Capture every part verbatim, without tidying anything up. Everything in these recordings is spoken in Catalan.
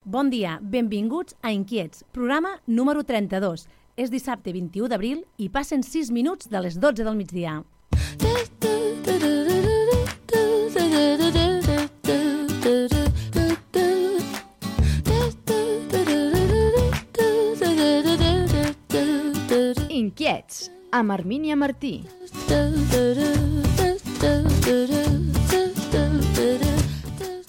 Bon dia, benvinguts a Inquiets, programa número trenta-dos. És dissabte vint-i-u d'abril i passen sis minuts de les dotze del migdia. Inquiets, amb Armínia Martí.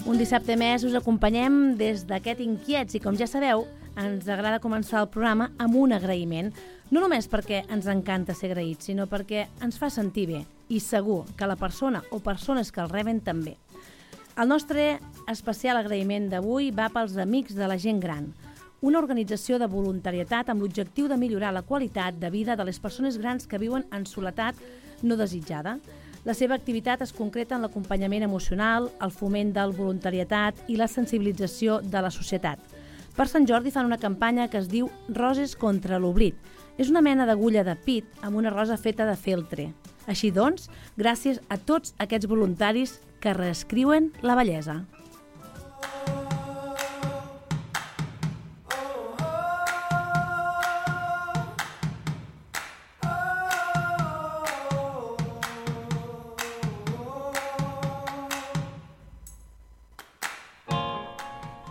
Un dissabte més us acompanyem des d'aquest Inquiets i, com ja sabeu, ens agrada començar el programa amb un agraïment. No només perquè ens encanta ser agraïts, sinó perquè ens fa sentir bé i segur que la persona o persones que el reben també. El nostre especial agraïment d'avui va pels Amics de la Gent Gran, una organització de voluntarietat amb l'objectiu de millorar la qualitat de vida de les persones grans que viuen en soledat no desitjada. La seva activitat es concreta en l'acompanyament emocional, el foment del voluntariat i la sensibilització de la societat. Per Sant Jordi fan una campanya que es diu Roses contra l'oblit. És una mena d'agulla de pit amb una rosa feta de feltre. Així doncs, gràcies a tots aquests voluntaris que reescriuen la bellesa.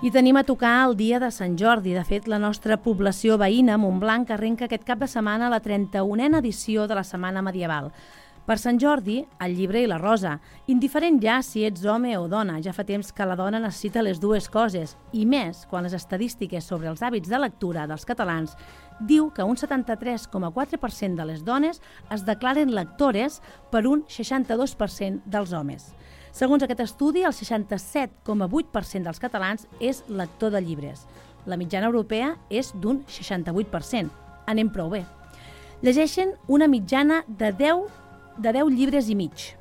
I tenim a tocar el dia de Sant Jordi. De fet, la nostra població veïna, Montblanc, arrenca aquest cap de setmana la trenta-unena edició de la Setmana Medieval. Per Sant Jordi, el llibre i la rosa. Indiferent ja si ets home o dona, ja fa temps que la dona necessita les dues coses, i més quan les estadístiques sobre els hàbits de lectura dels catalans diu que un setanta-tres coma quatre per cent de les dones es declaren lectores per un seixanta-dos per cent dels homes. Segons aquest estudi, el seixanta-set coma vuit per cent dels catalans és lector de llibres. La mitjana europea és d'un seixanta-vuit per cent. Anem prou bé. Llegeixen una mitjana de deu, de deu llibres i mig.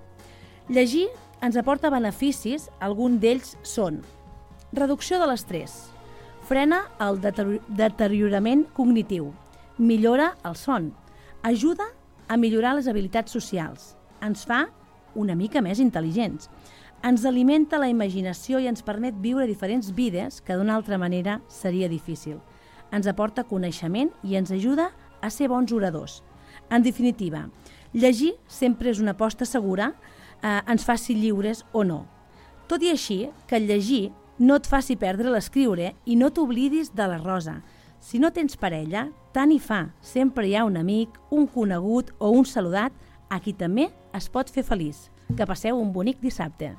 Llegir ens aporta beneficis, alguns d'ells són reducció de l'estrès, frena el deteriorament cognitiu, millora el son, ajuda a millorar les habilitats socials, ens fa una mica més intel·ligents. Ens alimenta la imaginació i ens permet viure diferents vides que d'una altra manera seria difícil. Ens aporta coneixement i ens ajuda a ser bons oradors. En definitiva, llegir sempre és una aposta segura, eh, ens faci lliures o no. Tot i així, que el llegir no et faci perdre l'escriure i no t'oblidis de la rosa. Si no tens parella, tant hi fa. Sempre hi ha un amic, un conegut o un saludat a qui també es pot fer feliç. Que passeu un bonic dissabte.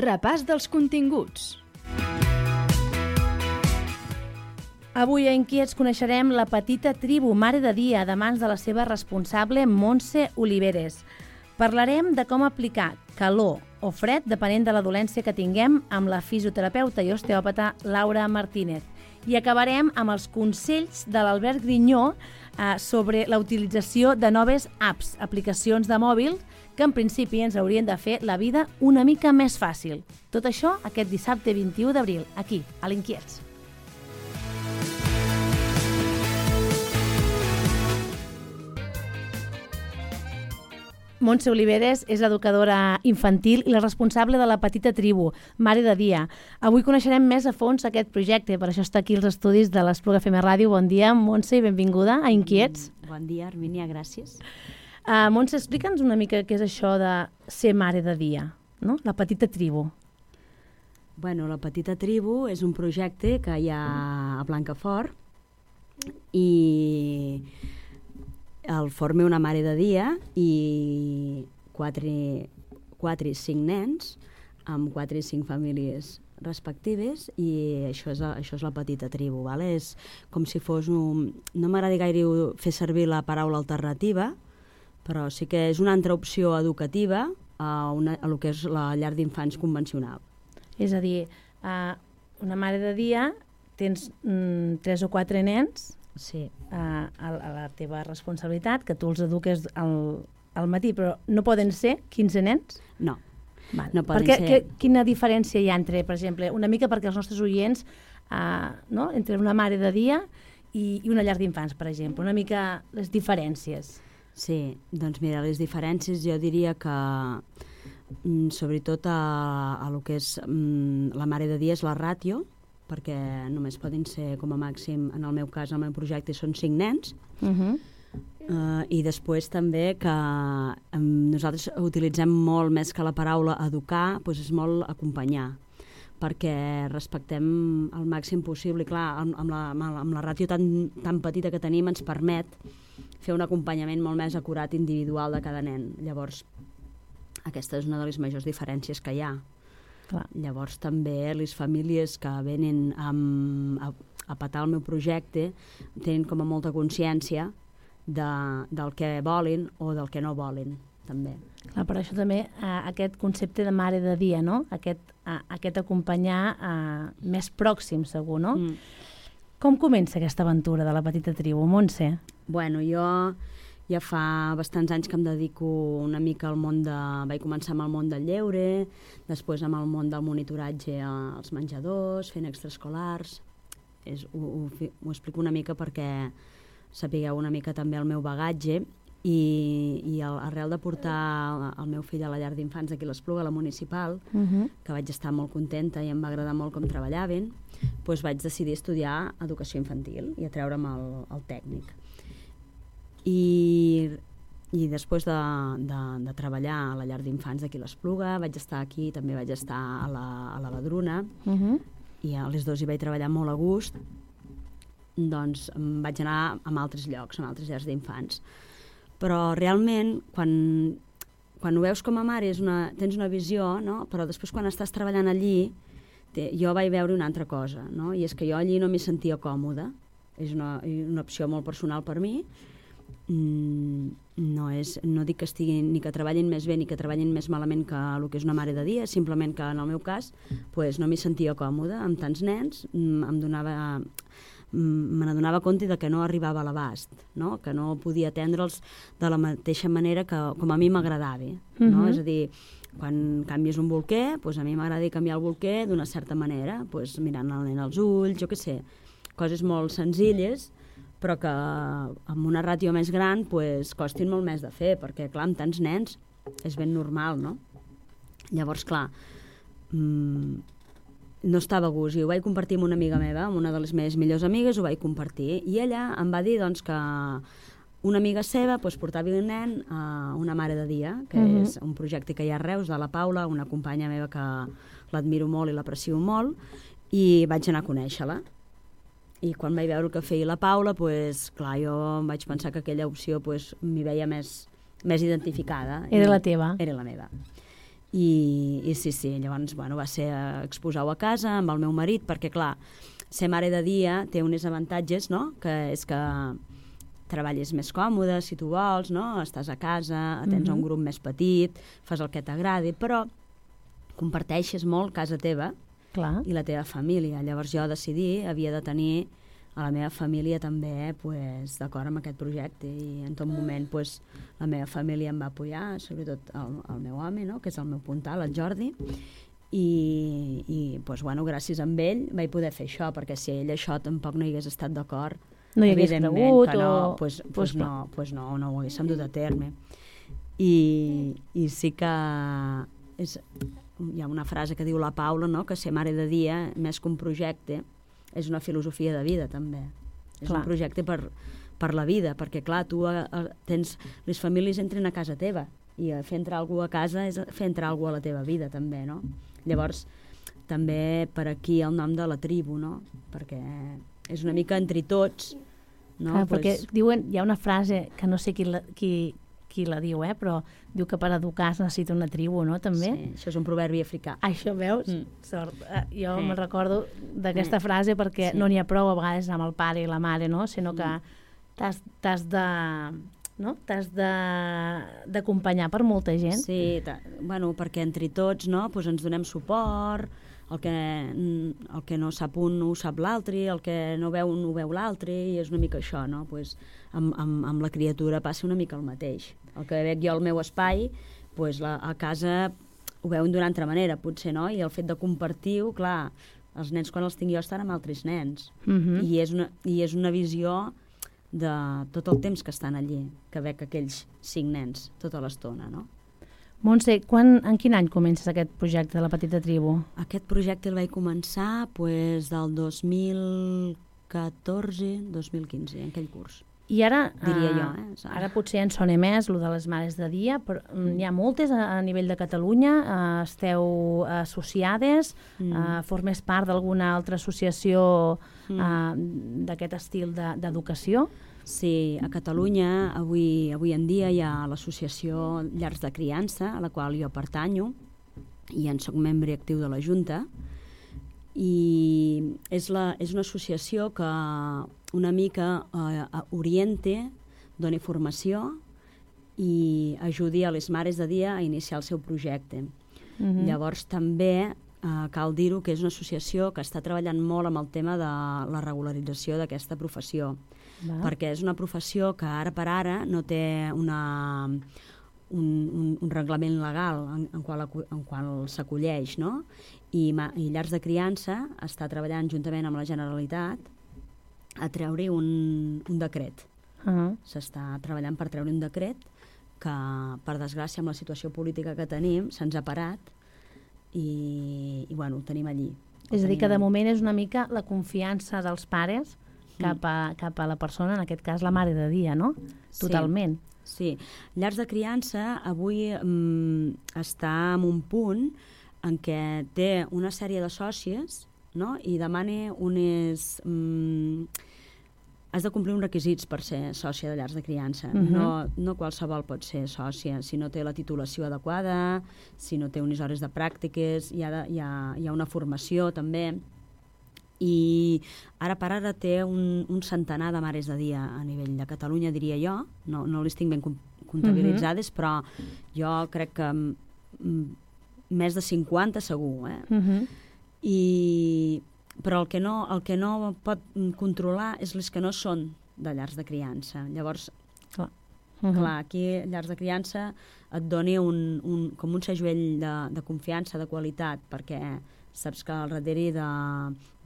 Repàs dels continguts. Avui a Inquiets coneixerem la petita tribu Mare de Dia de mans de la seva responsable Montse Oliveres. Parlarem de com aplicar calor o fred depenent de la dolència que tinguem amb la fisioterapeuta i osteòpata Laura Martínez. I acabarem amb els consells de l'Albert Grinyó eh, sobre la utilització de noves apps, aplicacions de mòbil, que en principi ens haurien de fer la vida una mica més fàcil. Tot això aquest dissabte vint-i-u d'abril, aquí, a l'Inquiets. Montse Oliveres és educadora infantil i la responsable de la petita tribu, Mare de Dia. Avui coneixerem més a fons aquest projecte, per això està aquí als estudis de l'Espluga F M Ràdio. Bon dia, Montse, i benvinguda a Inquiets. Bon dia, Armínia, gràcies. Uh, Montse, explica'ns una mica què és això de ser Mare de Dia, no? La petita tribu. Bueno, la petita tribu és un projecte que hi ha a Blancafort i el forma una mare de dia i quatre, quatre i cinc nens amb quatre i cinc famílies respectives i això és, això és la petita tribu. Vale? És com si fos un... No m'agrada gaire fer servir la paraula alternativa, però sí que és una altra opció educativa a, una, a lo que és la llar d'infants convencional. És a dir, uh, una mare de dia, tens mm, tres o quatre nens Sí. uh, a, a la teva responsabilitat, que tu els eduques al, al matí, però no poden ser quinze nens? No. Val. No poden perquè, ser... que, quina diferència hi ha entre, per exemple, una mica perquè els nostres oients, uh, no? entre una mare de dia i, i una llar d'infants, per exemple, una mica les diferències? Sí, doncs mira, les diferències jo diria que mm, sobretot a, a lo que és mm, la mare de dia és la ràtio, perquè només poden ser com a màxim, en el meu cas, el meu projecte són cinc nens, Uh -huh. uh, i després també que um, nosaltres utilitzem molt més que la paraula educar, doncs és molt acompanyar, perquè respectem el màxim possible, i clar, amb, amb, la, amb la ràtio tan, tan petita que tenim ens permet fer un acompanyament molt més acurat individual de cada nen. Llavors, aquesta és una de les majors diferències que hi ha. Clar. Llavors també les famílies que venen amb, a, a petar el meu projecte tenen com a molta consciència de, del que volen o del que no volen, també. Clar, per això també eh, aquest concepte de mare de dia, no? Aquest, eh, aquest acompanyar eh, més pròxim, segur, no? Mm. Com comença aquesta aventura de la petita tribu, Montse? Bueno, jo ja fa bastants anys que em dedico una mica al món de... Vaig començar amb el món del lleure, després amb el món del monitoratge als menjadors, fent extraescolars. És, ho, ho, ho explico una mica perquè sapigueu una mica també el meu bagatge i, i el, arrel de portar el meu fill a la llar d'infants aquí a l'Espluga, a la municipal, Uh -huh. que vaig estar molt contenta i em va agradar molt com treballaven, doncs vaig decidir estudiar educació infantil i atreure'm el, el tècnic. I, i després de, de, de treballar a la llar d'infants d'aquí a l'Espluga, vaig estar aquí, també vaig estar a la, a la Badruna, Uh -huh. i a les dues hi vaig treballar molt a gust, doncs em vaig anar a altres llocs, a altres llars d'infants. Però realment, quan, quan ho veus com a mare, és una, tens una visió, no? Però després quan estàs treballant allí, te, jo vaig veure una altra cosa, no? I és que jo allí no m'hi sentia còmoda. És una, una opció molt personal per mi. Mm, no, és, no dic que estiguin ni que treballin més bé ni que treballin més malament que el que és una mare de dia, simplement que en el meu cas pues, no m'hi sentia còmoda amb tants nens, em donava... me n'adonava compte de que no arribava a l'abast, no? Que no podia atendre'ls de la mateixa manera que com a mi m'agradava, no? Uh-huh. És a dir, quan canvies un bolquer, doncs a mi m'agrada canviar el bolquer d'una certa manera, doncs mirant el nen als ulls, jo què sé, coses molt senzilles, però que amb una ràtio més gran doncs, costin molt més de fer, perquè clar, amb tants nens és ben normal, no? Llavors, clar, mmm, no estava a gust, i ho vaig compartir amb una amiga meva, amb una de les meves millors amigues, ho vaig compartir, i ella em va dir doncs, que una amiga seva doncs, portava el nen a una mare de dia, que uh-huh. és un projecte que hi ha a Reus, de la Paula, una companya meva que l'admiro molt i l'aprecio molt, i vaig anar a conèixer-la. I quan vaig veure el que feia la Paula, doncs, clar, jo em vaig pensar que aquella opció doncs, m'hi veia més, més identificada. Era la teva? Era la meva. I, i sí, sí, llavors bueno, va ser exposar-ho a casa amb el meu marit, perquè clar, ser mare de dia té uns avantatges, no? Que és que treballes més còmode, si tu vols, no? Estàs a casa, tens uh-huh. un grup més petit, fas el que t'agradi, però comparteixes molt casa teva Clar. I la teva família. Llavors jo decidí, havia de tenir a la meva família també pues, d'acord amb aquest projecte, i en tot moment pues, la meva família em va apoyar, sobretot el, el meu home, no? Que és el meu puntal, el Jordi, i, i pues, bueno, gràcies a ell vaig poder fer això, perquè si ell això tampoc no hi hagués estat d'acord, no hi hagués cregut que no, o... pues, pues, pues, no, pues no, no ho haguéssim dut a terme. I, i sí que és, hi ha una frase que diu la Paula, no? Que ser mare de dia, més que un projecte, és una filosofia de vida, també. És clar. Un projecte per, per la vida, perquè, clar, tu a, a, tens... Les famílies entren a casa teva, i a fer entrar algú a casa és fer entrar algú a la teva vida, també, no? Llavors, també per aquí el nom de la tribu, no? Perquè és una mica entre tots, no? Clar, pues... perquè diuen, hi ha una frase que no sé qui la, qui, qui la diu, eh? Però diu que per educar es necessita una tribu, no? També? Sí, això és un proverbi africà. Això veus? Mm. Sort. Eh, jo sí. me'n recordo d'aquesta mm. frase perquè sí. no n'hi ha prou a vegades amb el pare i la mare, no? Sinó que t'has, t'has de... no? T'has d'acompanyar per molta gent. Sí, bueno, perquè entre tots, no? Pues ens donem suport, el que, el que no sap un no ho sap l'altre, el que no veu un ho veu l'altre, i és una mica això, no? Pues, amb, amb, amb la criatura passa una mica el mateix. El que veig jo al meu espai, pues, la, a casa ho veuen d'una altra manera, potser, no? I el fet de compartir-ho, clar, els nens quan els tinc jo estan amb altres nens. Uh-huh. I, és una, I és una visió de tot el temps que estan allí, que veig aquells cinc nens tota l'estona, no? Montse, quan, en quin any comences aquest projecte de la Petita Tribu? Aquest projecte el vaig començar pues, del dos mil catorze dos mil quinze, en aquell curs. I ara, diria uh, jo, eh? Ara potser en sona més, el de les mares de dia, però mm. hi ha moltes a, a nivell de Catalunya, uh, esteu associades, mm. uh, formes part d'alguna altra associació mm. uh, d'aquest estil d'educació? De, Sí, a Catalunya avui, avui en dia hi ha l'associació Llars de Criança, a la qual jo pertanyo, i en soc membre actiu de la Junta, i és, la, és una associació que una mica eh, oriente, doni formació i ajudi a les mares de dia a iniciar el seu projecte. Mm-hmm. Llavors també eh, cal dir-ho que és una associació que està treballant molt amb el tema de la regularització d'aquesta professió. Va. Perquè és una professió que ara per ara no té una, un, un, un reglament legal en, en qual, en qual s'acolleix, no? I, I Llars de Criança està treballant juntament amb la Generalitat a treure un, un decret. Uh-huh. S'està treballant per treure un decret que, per desgràcia, amb la situació política que tenim, se'ns ha parat i, i bueno, ho tenim allí. Ho és a dir, tenim que de allí. moment és una mica la confiança dels pares cap a, cap a la persona, en aquest cas la mare de dia, no? Totalment. Sí, sí. Llars de Criança avui mm, està en un punt en què té una sèrie de sòcies, no? I demana unes... Mm, has de complir uns requisits per ser sòcia de Llars de Criança. Uh-huh. no, no qualsevol pot ser sòcia. Si no té la titulació adequada, si no té unes hores de pràctiques, hi ha, de, hi ha, hi ha una formació també. I ara per ara té un, un centenar de mares de dia a nivell de Catalunya, diria jo. No, no les tinc ben comptabilitzades, uh-huh. però jo crec que m, més de cinquanta segur. Eh? Uh-huh. I, però el que, no, el que no pot controlar és les que no són de llars de criança. Llavors, clar, uh-huh. clar aquí Llars de Criança et doni un, un, com un segell de, de confiança, de qualitat, perquè saps que al darrere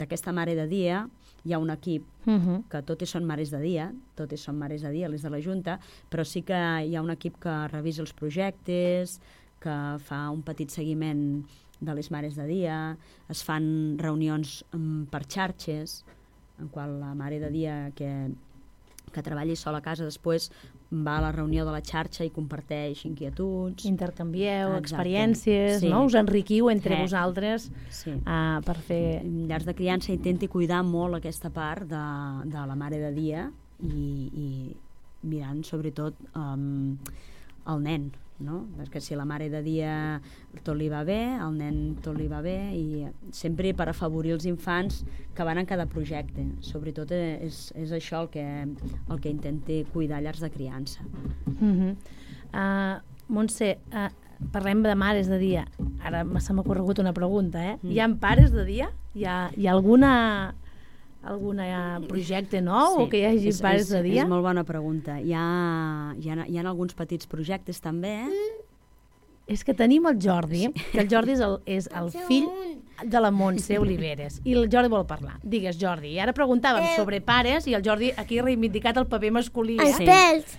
d'aquesta mare de dia hi ha un equip uh-huh. que totes són mares de dia, totes són mares de dia, les de la Junta, però sí que hi ha un equip que revisa els projectes, que fa un petit seguiment de les mares de dia, es fan reunions um, per xarxes, en qual la mare de dia que, que treballi sola a casa després va a la reunió de la xarxa i comparteix inquietuds. Intercanvieu Exacte. experiències, sí. no? Us enriquiu entre sí. vosaltres sí. uh, per fer... Llars de Criança intenti cuidar molt aquesta part de, de la mare de dia i, i mirant sobretot um, el nen, no? Perquè si la mare de dia tot li va bé, el nen tot li va bé, i sempre per afavorir els infants que van en cada projecte. Sobretot és, és això el que, el que intenti cuidar Llars de Criança. Uh-huh. uh, Montse, uh, parlem de mares de dia. Ara se m'ha corregut una pregunta, eh? Mm. Hi ha pares de dia? Hi ha, hi ha alguna... algun projecte nou sí, o que hi hagi és, pares és, de dia? És molt bona pregunta. Hi ha, hi ha, hi ha alguns petits projectes també. Mm. És que tenim el Jordi, sí. que el Jordi és el, és el fill de la Montse Oliveres i el Jordi vol parlar. Digues, Jordi. I ara preguntàvem eh. sobre pares i el Jordi aquí ha reivindicat el paper masculí. Eh? Estels.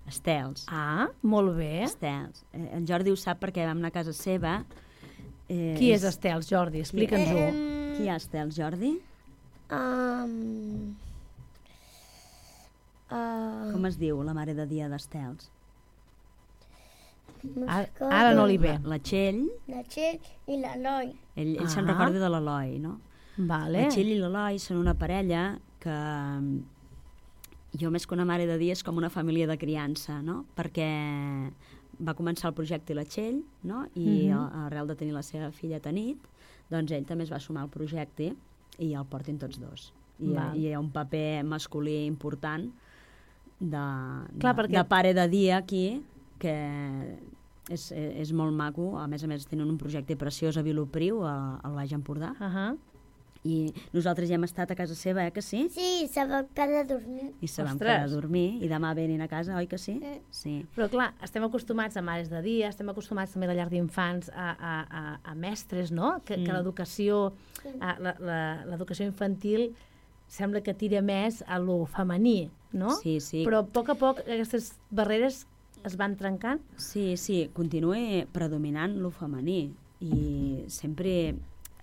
Estels. Ah, molt bé. Estels. Eh, el Jordi ho sap perquè vam anar a casa seva. Eh, Qui és Estels, Jordi? Explica'ns-ho. Eh, Qui és Estels, Jordi? Um, uh, Com es diu la mare de dia d'Estels? Ara, ara no li ve. La, la Txell. La Txell i l'Eloi. Ell, ell ah. se'n recorda de l'Eloi, no? Vale. La Txell i l'Eloi són una parella que jo més que una mare de dia és com una família de criança, no? Perquè va començar el projecte la Txell, no? I uh-huh. arrel de tenir la seva filla Tanit, doncs ell també es va sumar al projecte i el portin tots dos. I, i hi ha un paper masculí important de, Clar, de, perquè... de pare de dia aquí que és, és molt maco. A més a més tenen un projecte preciós a Vilopriu, al Baix Empordà. Uh -huh. I nosaltres ja hem estat a casa seva, eh, que sí? Sí, se va quedar a dormir. I se van Ostres. quedar a dormir, i demà venen a casa, oi que sí? Mm. Sí. Però clar, estem acostumats a mares de dia, estem acostumats també a la llar d'infants, a, a, a, a mestres, no? Que, mm. que l'educació a, la, la, l'educació infantil sembla que tira més a lo femení, no? Sí, sí. Però a poc a poc aquestes barreres es van trencant? Sí, sí, continua predominant lo femení, i sempre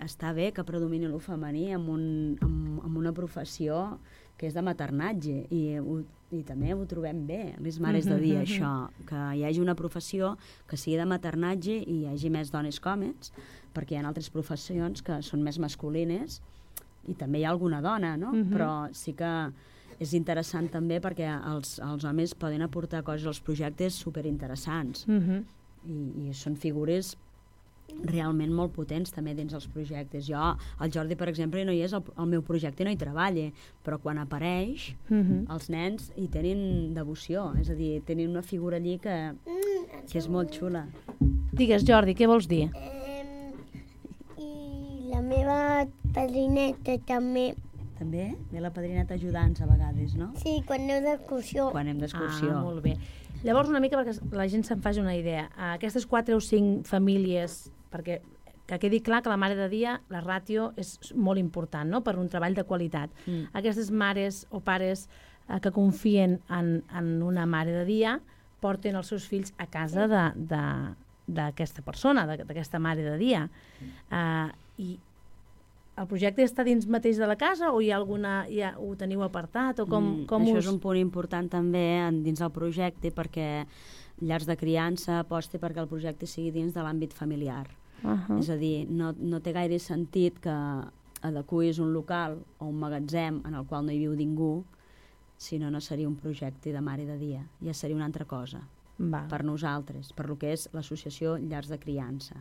està bé que predomini lo femení amb, un, amb, amb una professió que és de maternatge, i, ho, i també ho trobem bé, les mares de dia, això, que hi hagi una professió que sigui de maternatge i hi hagi més dones com ells, perquè hi ha altres professions que són més masculines i també hi ha alguna dona, no? Uh-huh. Però sí que és interessant també perquè els, els homes poden aportar coses als projectes superinteressants. Uh-huh. I, i són figures realment molt potents també dins els projectes. Jo, el Jordi, per exemple, no hi és, el, el meu projecte no hi treballa, però quan apareix, Uh-huh. els nens hi tenen devoció, és a dir, tenen una figura allí que, que és molt xula. Digues, Jordi, què vols dir? Eh, I la meva padrineta també. També ve la padrineta ajudants a vegades, no? Sí, quan aneu d'excursió. Quan anem d'excursió. Ah, molt bé. Llavors, una mica perquè la gent se'n faci una idea. Aquestes quatre o cinc famílies, perquè que quedi clar que la mare de dia, la ràtio és molt important, no?, per un treball de qualitat. Mm. Aquestes mares o pares eh, que confien en, en una mare de dia porten els seus fills a casa de, de, d'aquesta persona, de, d'aquesta mare de dia. Uh, I el projecte està dins mateix de la casa o hi ha alguna, ja ho teniu apartat? O com, Mm, com això us... és un punt important també en, dins del projecte, perquè Llars de Criança aposta perquè el projecte sigui dins de l'àmbit familiar. Uh -huh. És a dir, no, no té gaire sentit que adequis un local o un magatzem en el qual no hi viu ningú, si no, no seria un projecte de mare de dia, ja seria una altra cosa. Val. Per nosaltres, per lo que és l'associació Llars de Criança.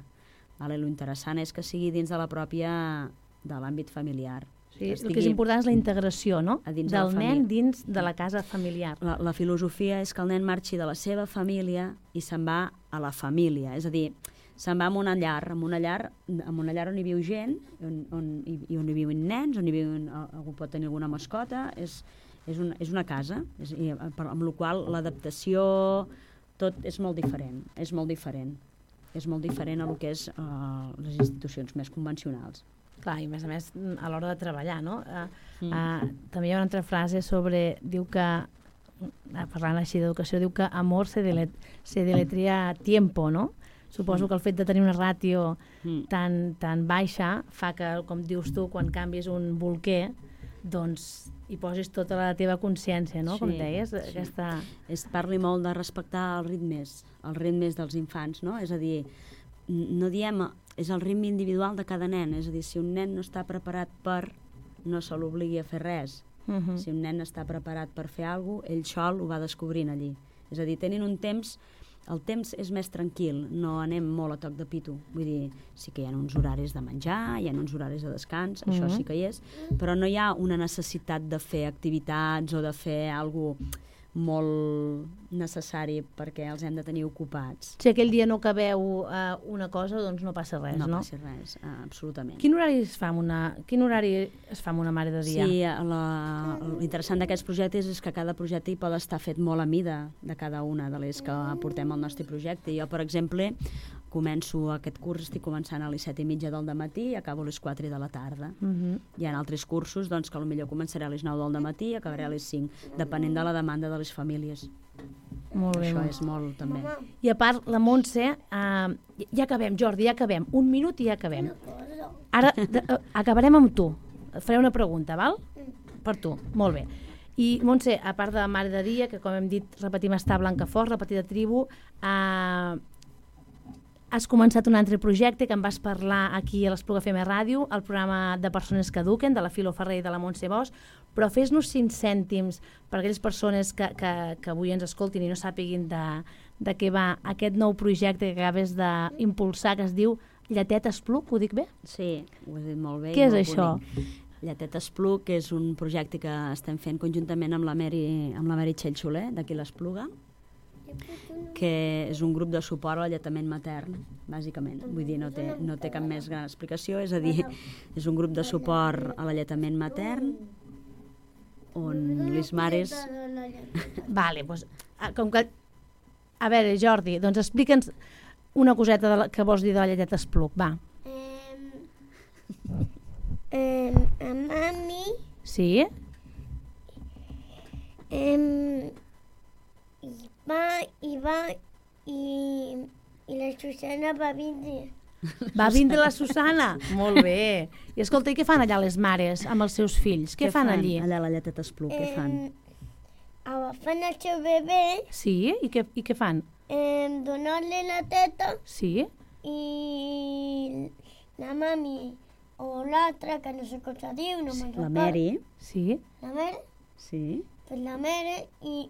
Vale? Lo interessant és que sigui dins de la pròpia, de l'àmbit familiar. Sí, el que és important és la integració, no?, a dins de la del nen família. dins de la casa familiar. La, la filosofia és que el nen marxi de la seva família i se'n va a la família, és a dir, se'n va a una llar, a una llar, a una llar on hi viu gent, on, on, i, i on hi viuen nens, on hi viuen, algú pot tenir alguna mascota, és, és, una, és una casa, és, i, per, amb la qual l'adaptació, tot és molt diferent, és molt diferent. És molt diferent a lo que és uh, les institucions més convencionals. Clar, i a més a més, a l'hora de treballar, no? Uh, Mm. uh, també hi ha una altra frase sobre, diu que, uh, parlant així d'educació, diu que amor se, delet, se deletria tiempo, no? Suposo que el fet de tenir una ràtio Mm. tan, tan baixa fa que, com dius tu, quan canvis un bolquer, doncs hi posis tota la teva consciència, no? Sí, Com deies, sí. aquesta... Es parli molt de respectar els ritmes, els ritmes dels infants, no? És a dir, no diem, és el ritme individual de cada nen, és a dir, si un nen no està preparat per, no se l'obligui a fer res. Uh -huh. Si un nen està preparat per fer alguna cosa, ell sol ho va descobrint allí. És a dir, tenen un temps, el temps és més tranquil, no anem molt a toc de pito. Vull dir, sí que hi ha uns horaris de menjar, hi ha uns horaris de descans, això Mhm. sí que hi és, però no hi ha una necessitat de fer activitats o de fer alguna cosa molt necessari perquè els hem de tenir ocupats. Si aquell dia no acabeu uh, una cosa, doncs no passa res, no? No passa res, uh, absolutament. Quin horari es fa amb una, quin horari es fa amb una mare de dia? Sí, la, l'interessant d'aquests projectes és que cada projecte hi pot estar fet molt a mida de cada una de les que portem al nostre projecte. Jo, per exemple, començo aquest curs, estic començant a les set i mitja del dematí i acabo a les quatre de la tarda. Uh -huh. Hi ha altres cursos doncs, que potser començaré a les nou del dematí i acabaré a les cinc, depenent de la demanda de les famílies. Molt bé. Això molt. és molt, també. I a part, la Montse, uh, ja acabem, Jordi, ja acabem. Un minut i ja acabem. Ara de, uh, acabarem amb tu. Et faré una pregunta, val? Per tu, molt bé. I, Montse, a part de la mare de dia, que com hem dit, repetim, està a Blancafort, la petita tribu, uh, has començat un altre projecte que em vas parlar aquí a l'Espluga F M Ràdio, el programa de persones que eduquen, de la Filo Ferrer i de la Montse Bosch, però fes-nos cinc cèntims per a aquelles persones que, que, que avui ens escoltin i no sàpiguin de, de què va aquest nou projecte que acabes d'impulsar, que es diu Lletet Espluc, ho dic bé? Sí, ho has dit molt bé. i Què és molt això? bonic. Lletet Espluc és un projecte que estem fent conjuntament amb la Mary, amb la Mary Txell Soler, d'aquí l'Espluga. que és un grup de suport a l'alletament matern, bàsicament. Vull dir, no té, no té cap més gran explicació, és a dir, és un grup de suport a l'alletament matern on les mares... Vale, doncs, com que... A veure, Jordi, doncs explica'ns una coseta de la, que vols dir de la lleteta Espluc, va. Eh, a mami Sí? eh, i va, i va, i, i la Susana va vindre. Va vindre la Susana? Molt bé. I escolta, i què fan allà les mares amb els seus fills? Què, fan, allí? Allà a la lleteta Espluc, què fan? Eh, agafant el seu bebè, Sí? I què, i què fan? eh, donar-li la teta Sí? i la mami o l'altra, que no sé com se diu, no me'n La recordo. Mary, Sí? La Mary, sí. pues la Mary, i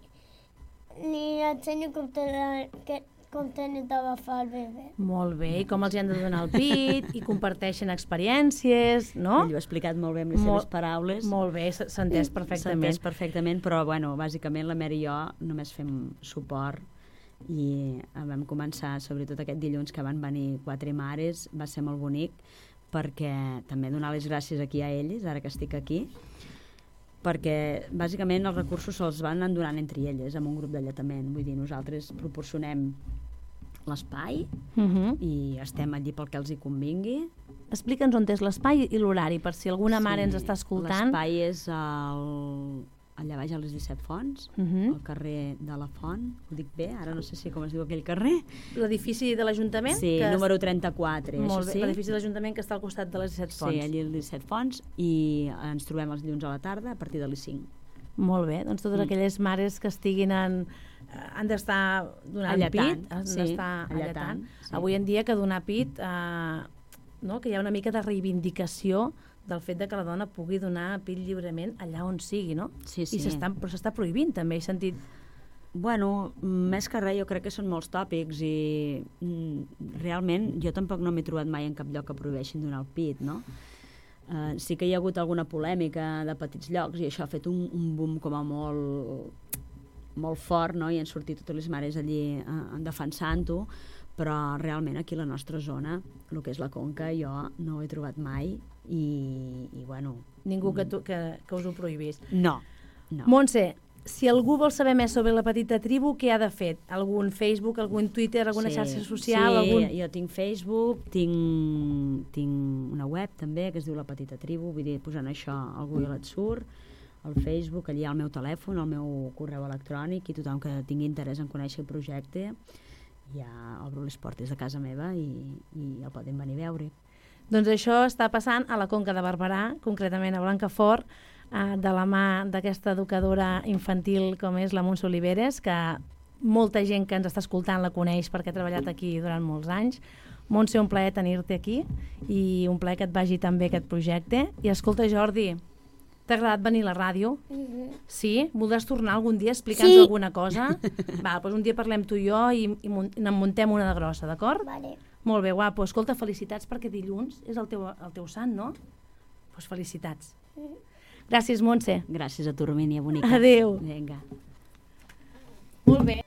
li ensenyo com te- que- com tenen d'agafar el bebè. Molt bé. I com els hi han de donar el pit, i comparteixen experiències, no? Ell ho ha explicat molt bé amb les Molt- seves paraules. Molt bé, s- s'ha entès S'ha perfectament. entès perfectament, però bueno, bàsicament la Mary i jo només fem suport i vam començar, sobretot aquest dilluns que van venir quatre mares, va ser molt bonic, perquè també donar les gràcies aquí a elles, ara que estic aquí, perquè bàsicament els recursos se'ls van anar donant entre elles, amb un grup d'alletament. Vull dir, nosaltres proporcionem l'espai Uh -huh. i estem allí pel que els hi convingui. Explica'ns on és l'espai i l'horari, per si alguna mare ens està escoltant. L'espai és al, allà baix a les disset Fonts, Uh -huh. al carrer de la Font, ho dic bé, ara no sé si com es diu aquell carrer. L'edifici de l'Ajuntament? Sí, que número trenta-quatre, Molt això bé, sí. l'edifici de l'Ajuntament que està al costat de les disset Fonts. Sí, allí a les disset Fonts, i ens trobem els dilluns a la tarda a partir de les cinc. Molt bé, doncs totes Mm. aquelles mares que estiguin en... eh, han d'estar donant Alletant, pit, han sí, d'estar alletant, alletant. sí. Avui en dia que donar pit, eh, no? que hi ha una mica de reivindicació del fet de que la dona pugui donar pit lliurement allà on sigui, no? Sí, I sí. s'està, però s'està prohibint també, he sentit... Bueno, més que res jo crec que són molts tòpics i mm, realment jo tampoc no m'he trobat mai en cap lloc que prohibeixin donar el pit, no? Uh, sí que hi ha hagut alguna polèmica de petits llocs i això ha fet un, un boom com a molt, molt fort, no? I han sortit totes les mares allí uh, defensant-ho, però realment aquí a la nostra zona, el que és la Conca, jo no ho he trobat mai i, i bueno... Ningú que, tu, que, que us ho prohibís. No, no. Montse, si algú vol saber més sobre la petita tribu, què ha de fer? Algun Facebook, algun Twitter, alguna Sí, xarxa social? Sí, algun... jo tinc Facebook, tinc, tinc una web també que es diu La Petita Tribu, vull dir, posant això al Google et surt, al Facebook, allà al meu telèfon, al meu correu electrònic, i tothom que tingui interès en conèixer el projecte ja obro les portes de casa meva i, i el poden venir a veure. Doncs això està passant a la Conca de Barberà, concretament a Blancafort, eh, de la mà d'aquesta educadora infantil com és la Montse Oliveres, que molta gent que ens està escoltant la coneix perquè ha treballat aquí durant molts anys. Montse, un plaer tenir-te aquí i un plaer que et vagi tan bé aquest projecte. I escolta, Jordi, t'ha agradat venir a la ràdio? Mhm. Sí? Voldràs tornar algun dia a explicar-nos Sí. alguna cosa? Va, doncs un dia parlem tu i jo i, i mun- n'en muntem una de grossa, d'acord? Vale. Molt bé, guapo. Escolta, felicitats perquè dilluns és el teu, el teu sant, no? Doncs pues felicitats. Gràcies, Montse. Gràcies a tu, Romínia, bonica. Adéu. Vinga. Molt bé.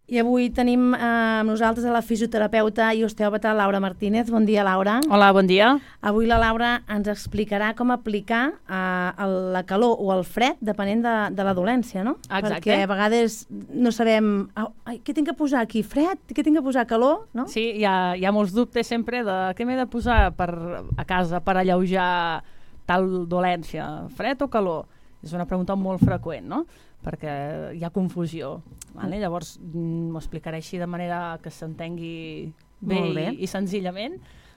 I avui tenim eh, amb nosaltres a la fisioterapeuta i osteòpata Laura Martínez. Bon dia, Laura. Hola, bon dia. Avui la Laura ens explicarà com aplicar eh, la calor o el fred depenent de, de la dolència, no? Exacte. Perquè a vegades no sabem ai, què tinc que posar aquí, fred? Què tinc que posar, calor? No? Sí, hi ha, hi ha molts dubtes sempre de què m'he de posar per, a casa per alleujar tal dolència, fred o calor? És una pregunta molt freqüent, no? Perquè hi ha confusió. Vale? Llavors, m'ho explicaré així de manera que s'entengui bé, bé. I, i senzillament.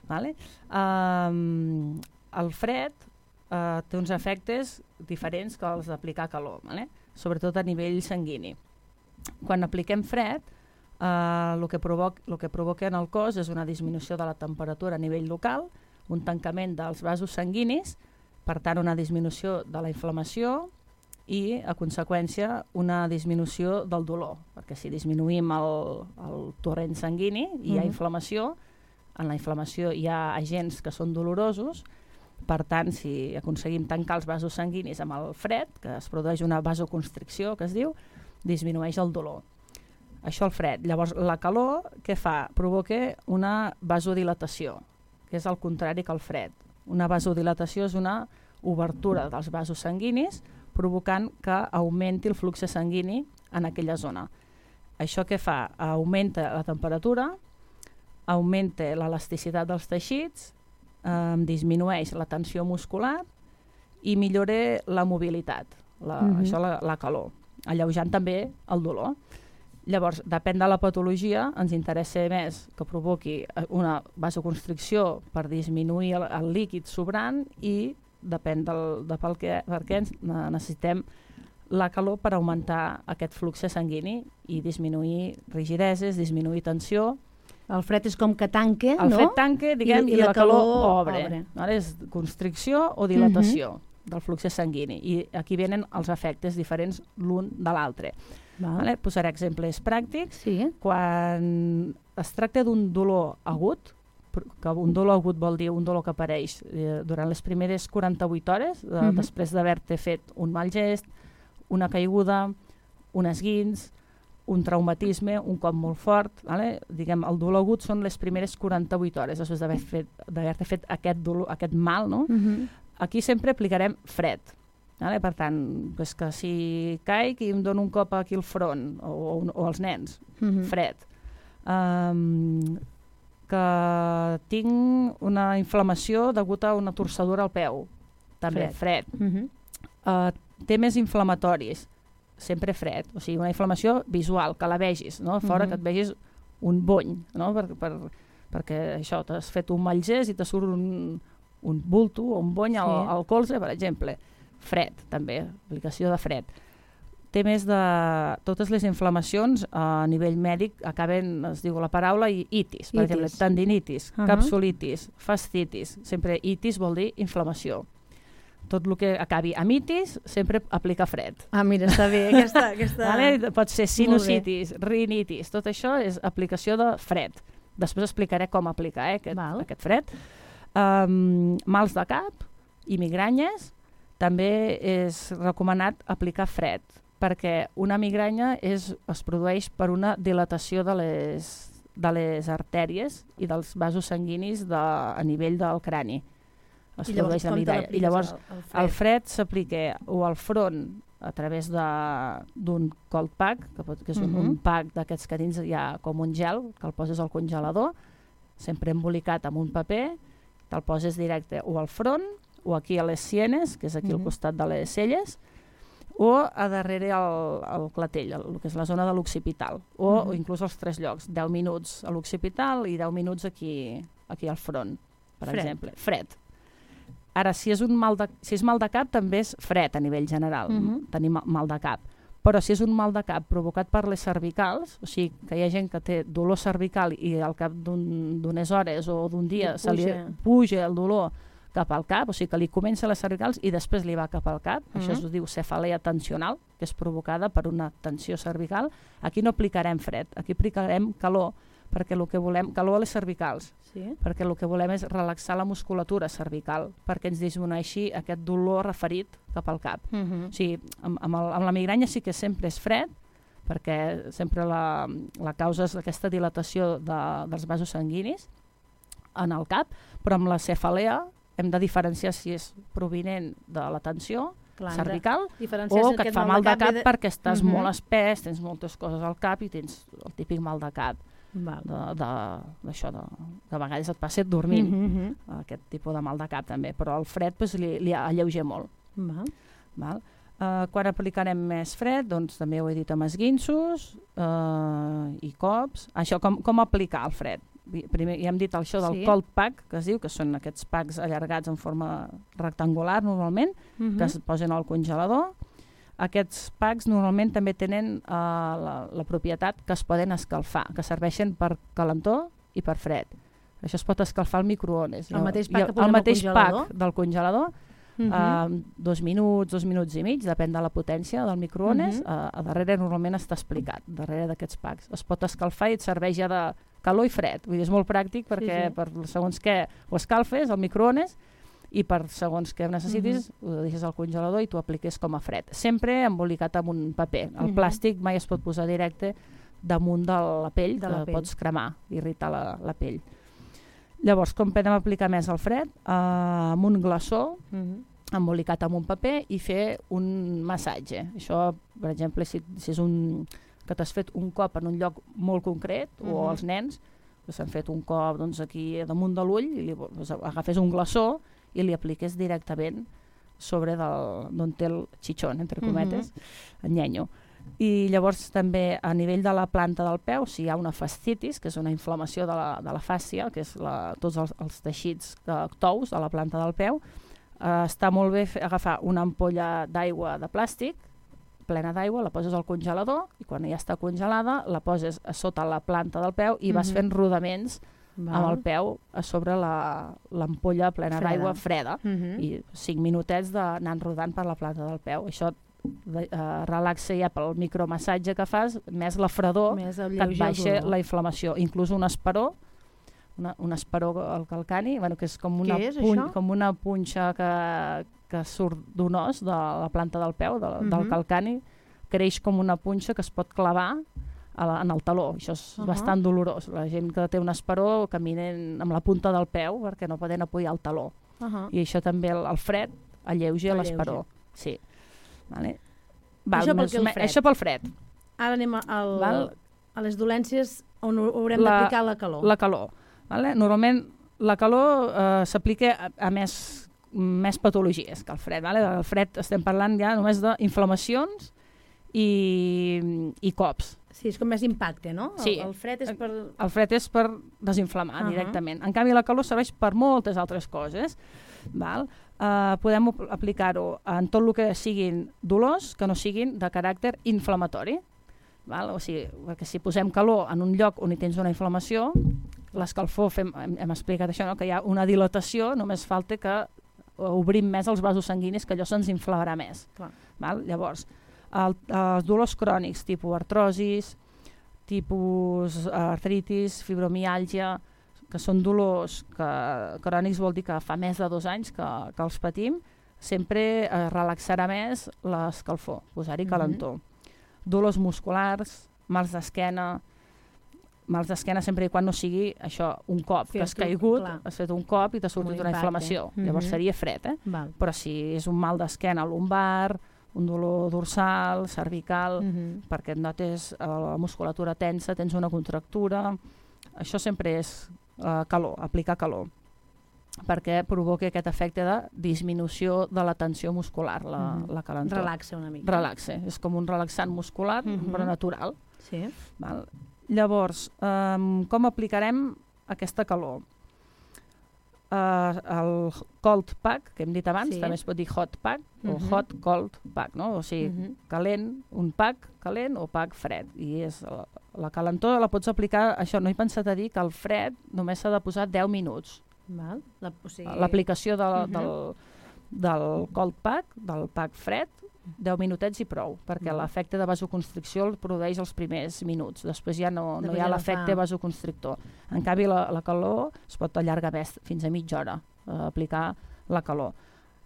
Vale? Um, el fred uh, té uns efectes diferents que els d'aplicar calor, vale? Sobretot a nivell sanguini. Quan apliquem fred, uh, el, que provoca, el que provoca en el cos és una disminució de la temperatura a nivell local, un tancament dels vasos sanguinis, per tant una disminució de la inflamació, i, a conseqüència, una disminució del dolor, perquè si disminuïm el, el torrent sanguini i hi ha inflamació, en la inflamació hi ha agents que són dolorosos, per tant, si aconseguim tancar els vasos sanguinis amb el fred, que es produeix una vasoconstricció, que es diu, disminueix el dolor. Això el fred. Llavors, la calor, què fa? Provoca una vasodilatació, que és el contrari que el fred. Una vasodilatació és una obertura dels vasos sanguinis, provocant que augmenti el flux sanguini en aquella zona. Això què fa? Augmenta la temperatura, augmenta l'elasticitat dels teixits, eh, disminueix la tensió muscular i millora la mobilitat, la, mm-hmm. això la, la calor, alleujant també el dolor. Llavors, depèn de la patologia, ens interessa més que provoqui una vasoconstricció per disminuir el, el líquid sobrant i depèn del, de pel que, per què necessitem la calor per augmentar aquest flux sanguini i disminuir rigideses, disminuir tensió. El fred és com que tanque, el no? El fred tanque, diguem, i, i, i la, la calor, calor obre. obre. Ara és constricció o dilatació uh-huh. del flux sanguini. I aquí venen els efectes diferents l'un de l'altre. Vale? Posaré exemples pràctics. Sí. Quan es tracta d'un dolor agut, que un dolor agut vol dir un dolor que apareix eh, durant les primeres quaranta-vuit hores, de, uh-huh. després d'haver-te fet un mal gest, una caiguda, un esguins, un traumatisme, un cop molt fort, vale? Diguem, el dolor agut són les primeres quaranta-vuit hores després d'haver fet, d'haver-te fet aquest, dolor, aquest mal, no? Uh-huh. Aquí sempre aplicarem fred. Vale? Per tant, pues que si caic i em dono un cop aquí al front, o, o, o als nens, uh-huh. fred. Um, que tinc una inflamació degut a una torçadura al peu, també fred. fred. Uh-huh. uh, té més inflamatoris, sempre fred, o sigui, una inflamació visual, que la vegis, no? Fora uh-huh. que et vegis un bony, no? per, per, perquè això, t'has fet un mal gest i te surt un, un bulto o un bony sí. al, al colze, per exemple. Fred, també, aplicació de fred. Té més de... Totes les inflamacions a nivell mèdic acaben, es diu la paraula, itis. Per itis. exemple, tendinitis, uh-huh. capsulitis, fascitis. Sempre itis vol dir inflamació. Tot el que acabi amb itis sempre aplica fred. Ah, mira, està bé. Aquesta, aquesta... Vale? Pot ser sinusitis, rinitis, tot això és aplicació de fred. Després explicaré com aplicar eh, aquest, aquest fred. Um, mals de cap i migranyes, també és recomanat aplicar fred, perquè una migranya és, es produeix per una dilatació de les, de les artèries i dels vasos sanguinis de, a nivell del crani. Es I llavors, produeix la migranya. I llavors el, el fred, el fred s'aplica o al front a través d'un cold pack, que, pot, que és uh-huh. un, un pack d'aquests que dins hi ha com un gel, que el poses al congelador, sempre embolicat amb un paper, te'l poses directe o al front o aquí a les sienes, que és aquí uh-huh. al costat de les celles, o a darrere el, el clatell, el, el que és la zona de l'occipital, o, uh-huh. o inclús als tres llocs, deu minuts a l'occipital i deu minuts aquí, aquí al front, per fred. exemple. Fred. Ara, si és, un mal de, si és mal de cap, també és fred a nivell general, uh-huh. tenir mal de cap. Però si és un mal de cap provocat per les cervicals, o sigui, que hi ha gent que té dolor cervical i al cap d'unes hores o d'un dia se li puja el dolor cap al cap, o sigui que li comença a les cervicals i després li va cap al cap, uh-huh. això es diu cefalea tensional, que és provocada per una tensió cervical. Aquí no aplicarem fred, aquí aplicarem calor, perquè el que volem, calor a les cervicals, sí. perquè el que volem és relaxar la musculatura cervical, perquè ens disminueixi aquest dolor referit cap al cap. Uh-huh. O sigui, amb, amb, el, amb la migranya sí que sempre és fred, perquè sempre la, la causa és aquesta dilatació de, dels vasos sanguinis en el cap, però amb la cefalea hem de diferenciar si és provinent de la tensió Clar, cervical diferenciar o si que et aquest fa mal de cap ve perquè estàs Mhm. molt espès, tens moltes coses al cap i tens el típic mal de cap Val. de- de- d'això, de, que a vegades et passi dormint, Mhm, aquest tipus de mal de cap també, però el fred pues, li, li alleuja molt. mhm. Val. Val? Uh, quan aplicarem més fred, doncs també ho he dit amb esguinços uh, i cops. Això, com, com aplicar el fred? Primer ja hem dit això del Sí. cold pack, que es diu, que són aquests packs allargats en forma rectangular normalment, Mhm. que es posen al congelador. Aquests packs normalment també tenen uh, la, la propietat que es poden escalfar, que serveixen per calentor i per fred. Això es pot escalfar al microones. El mateix I pack que posem el al mateix congelador? pack del congelador, Mhm. uh, dos minuts, dos minuts i mig, depèn de la potència del microones. Mhm. uh, a darrere normalment està explicat, darrere d'aquests packs. Es pot escalfar i et serveix ja de calor i fred. Vull dir, és molt pràctic perquè sí. per segons què ho escalfes al microones i per segons què necessitis Mhm. ho deixes al congelador i t'ho apliques com a fred. Sempre embolicat amb un paper. El Mhm. plàstic mai es pot posar directe damunt de la pell, De que la pell. pots cremar, irritar la, la pell. Llavors, com podem aplicar més el fred? Uh, amb un glaçó, Mhm. embolicat amb un paper i fer un massatge. Això, per exemple, si, si és un que t'has fet un cop en un lloc molt concret, uh -huh. o els nens que s'han fet un cop doncs, aquí damunt de l'ull, i li, doncs, agafes un glaçó i li apliques directament sobre d'on té el xitxón, entre cometes, uh -huh. el nyenyo. I llavors també a nivell de la planta del peu, si hi ha una fascitis, que és una inflamació de la, de la fàscia, que és la, tots els, els teixits de, tous de la planta del peu, Uh, està molt bé fer, agafar una ampolla d'aigua de plàstic plena d'aigua, la poses al congelador i quan ja està congelada la poses a sota la planta del peu i vas Mhm. fent rodaments Val. amb el peu a sobre la- l'ampolla plena Freda. d'aigua freda Mhm. i cinc minutets d'anar rodant per la planta del peu. Això de, uh, relaxa ja pel micromassatge que fas, més la fredor Més que et alleuja el baixa dolor. la inflamació. Inclús un esperó Una, un esperó al calcani, bueno, que és com una, Què és, puny, això? com una punxa que, que surt d'un os de la planta del peu, de, Mhm. del calcani, creix com una punxa que es pot clavar a la, en el taló. Això és uh Ahà. -huh. bastant dolorós. La gent que té un esperó caminen amb la punta del peu perquè no poden apoyar el taló. Uh -huh. I això també, el, el fred, alleuja Alleuja. l'esperó. Sí. Vale. Val, Això pel més, que el me- fred. això pel fred. Ara anem a, al, Val. a les dolències on ho- haurem La- d'aplicar la calor. La calor. Vale? Normalment la calor eh, s'aplica a, a més, més patologies que el fred. Vale? El fred estem parlant ja només d'inflamacions i, i cops. Sí, és com més impacte, no? Sí. El, el fred és per... El fred és per desinflamar Uh -huh. directament. En canvi, la calor serveix per moltes altres coses. Val? Uh, podem ap- aplicar-ho en tot el que siguin dolors que no siguin de caràcter inflamatori. Val? O sigui, perquè si posem calor en un lloc on hi tens una inflamació, l'escalfor, fem, hem, hem explicat això, no? Que hi ha una dilatació, només falta que obrim més els vasos sanguinis, que allò se'ns inflamarà més. Clar. Val? Llavors, el, els dolors crònics, tipus artrosis, tipus artritis, fibromiàlgia, que són dolors que crònics vol dir que fa més de dos anys que, que els patim, sempre eh, relaxarà més l'escalfor, posar-hi Mhm. calentó. Dolors musculars, mals d'esquena, mals d'esquena sempre i quan no sigui això, un cop, que has Fer-t'ho, caigut, clar. has fet un cop i t'ha sortit Un una impacte. inflamació. Llavors Mhm. seria fred, eh? Val. Però si és un mal d'esquena lumbar, un dolor dorsal, cervical, Mhm. perquè et notes eh, la musculatura tensa, tens una contractura, això sempre és eh, calor, aplicar calor, perquè provoca aquest efecte de disminució de la tensió muscular, la, Mhm. la calentor. Relaxa una mica. Relaxa, és com un relaxant muscular, Mhm. però natural. Sí. Val? Llavors, um, com aplicarem aquesta calor? Uh, el cold pack, que hem dit abans, Sí. també es pot dir hot pack, o Mhm. hot cold pack, no? O sigui, Mhm. calent, un pack calent o pack fred. I és la, la calentor la pots aplicar, això no he pensat a dir que el fred només s'ha de posar deu minuts. Val. La, o sigui... L'aplicació de, Mhm. del, del cold pack, del pack fred, deu minutets i prou, perquè Mhm. l'efecte de vasoconstricció el produeix els primers minuts, després ja no, no Després hi ha ja no l'efecte fa. vasoconstrictor. En canvi, la, la calor es pot allargar més, fins a mitja hora, eh, aplicar la calor.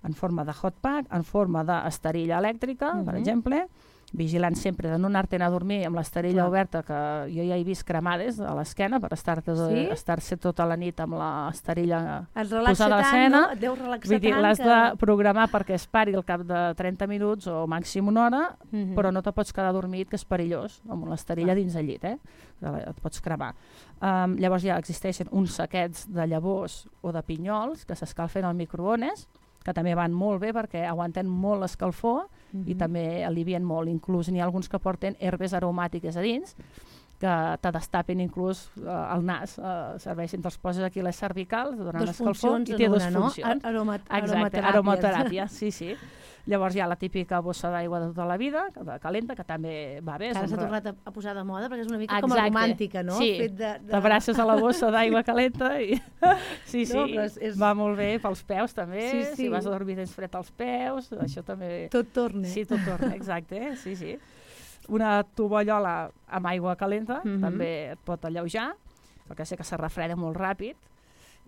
en forma de hot pack, en forma d'esterilla elèctrica, Uh-huh. per exemple, vigilant sempre de no anar-te'n a dormir amb l'esterilla Clar. oberta, que jo ja he vist cremades a l'esquena per estar-te Sí? estar-se tota la nit amb l'esterilla Et relaxa posada a tant, l'escena. no? Et deu relaxar Vull dir, tant l'has que... de programar perquè es pari al cap de trenta minuts o màxim una hora, Mhm. però no te pots quedar dormit, que és perillós, amb l'esterilla dins el llit, eh? Et pots cremar. Um, llavors ja existeixen uns saquets de llavors o de pinyols que s'escalfen al microones, que també van molt bé perquè aguanten molt l'escalfor Mhm. i també alivien molt. Inclús n'hi ha alguns que porten herbes aromàtiques a dins, que te destapen inclús eh, el nas, eh, serveixen, te'ls poses aquí a les cervicals, donant Dos l'escalfor, funcions i té en dues una, no? funcions. Ar- Aroma, Exacte, aromateràpies. aromateràpia, sí, sí. Llavors hi ha la típica bossa d'aigua de tota la vida, de calenta, que també va bé. és Ara un s'ha re- tornat a, a posar de moda perquè és una mica com Exacte. romàntica, no? Sí, Fet de, de... t'abraces a la bossa d'aigua calenta i... sí, sí, No, però és- és- va molt bé pels peus també, Sí, sí. si vas a dormir tens fred als peus, això també... Tot torna. Sí, tot torna, exacte, sí, sí. Una tovallola amb aigua calenta Mhm. també et pot alleujar, perquè sé que se refreda molt ràpid,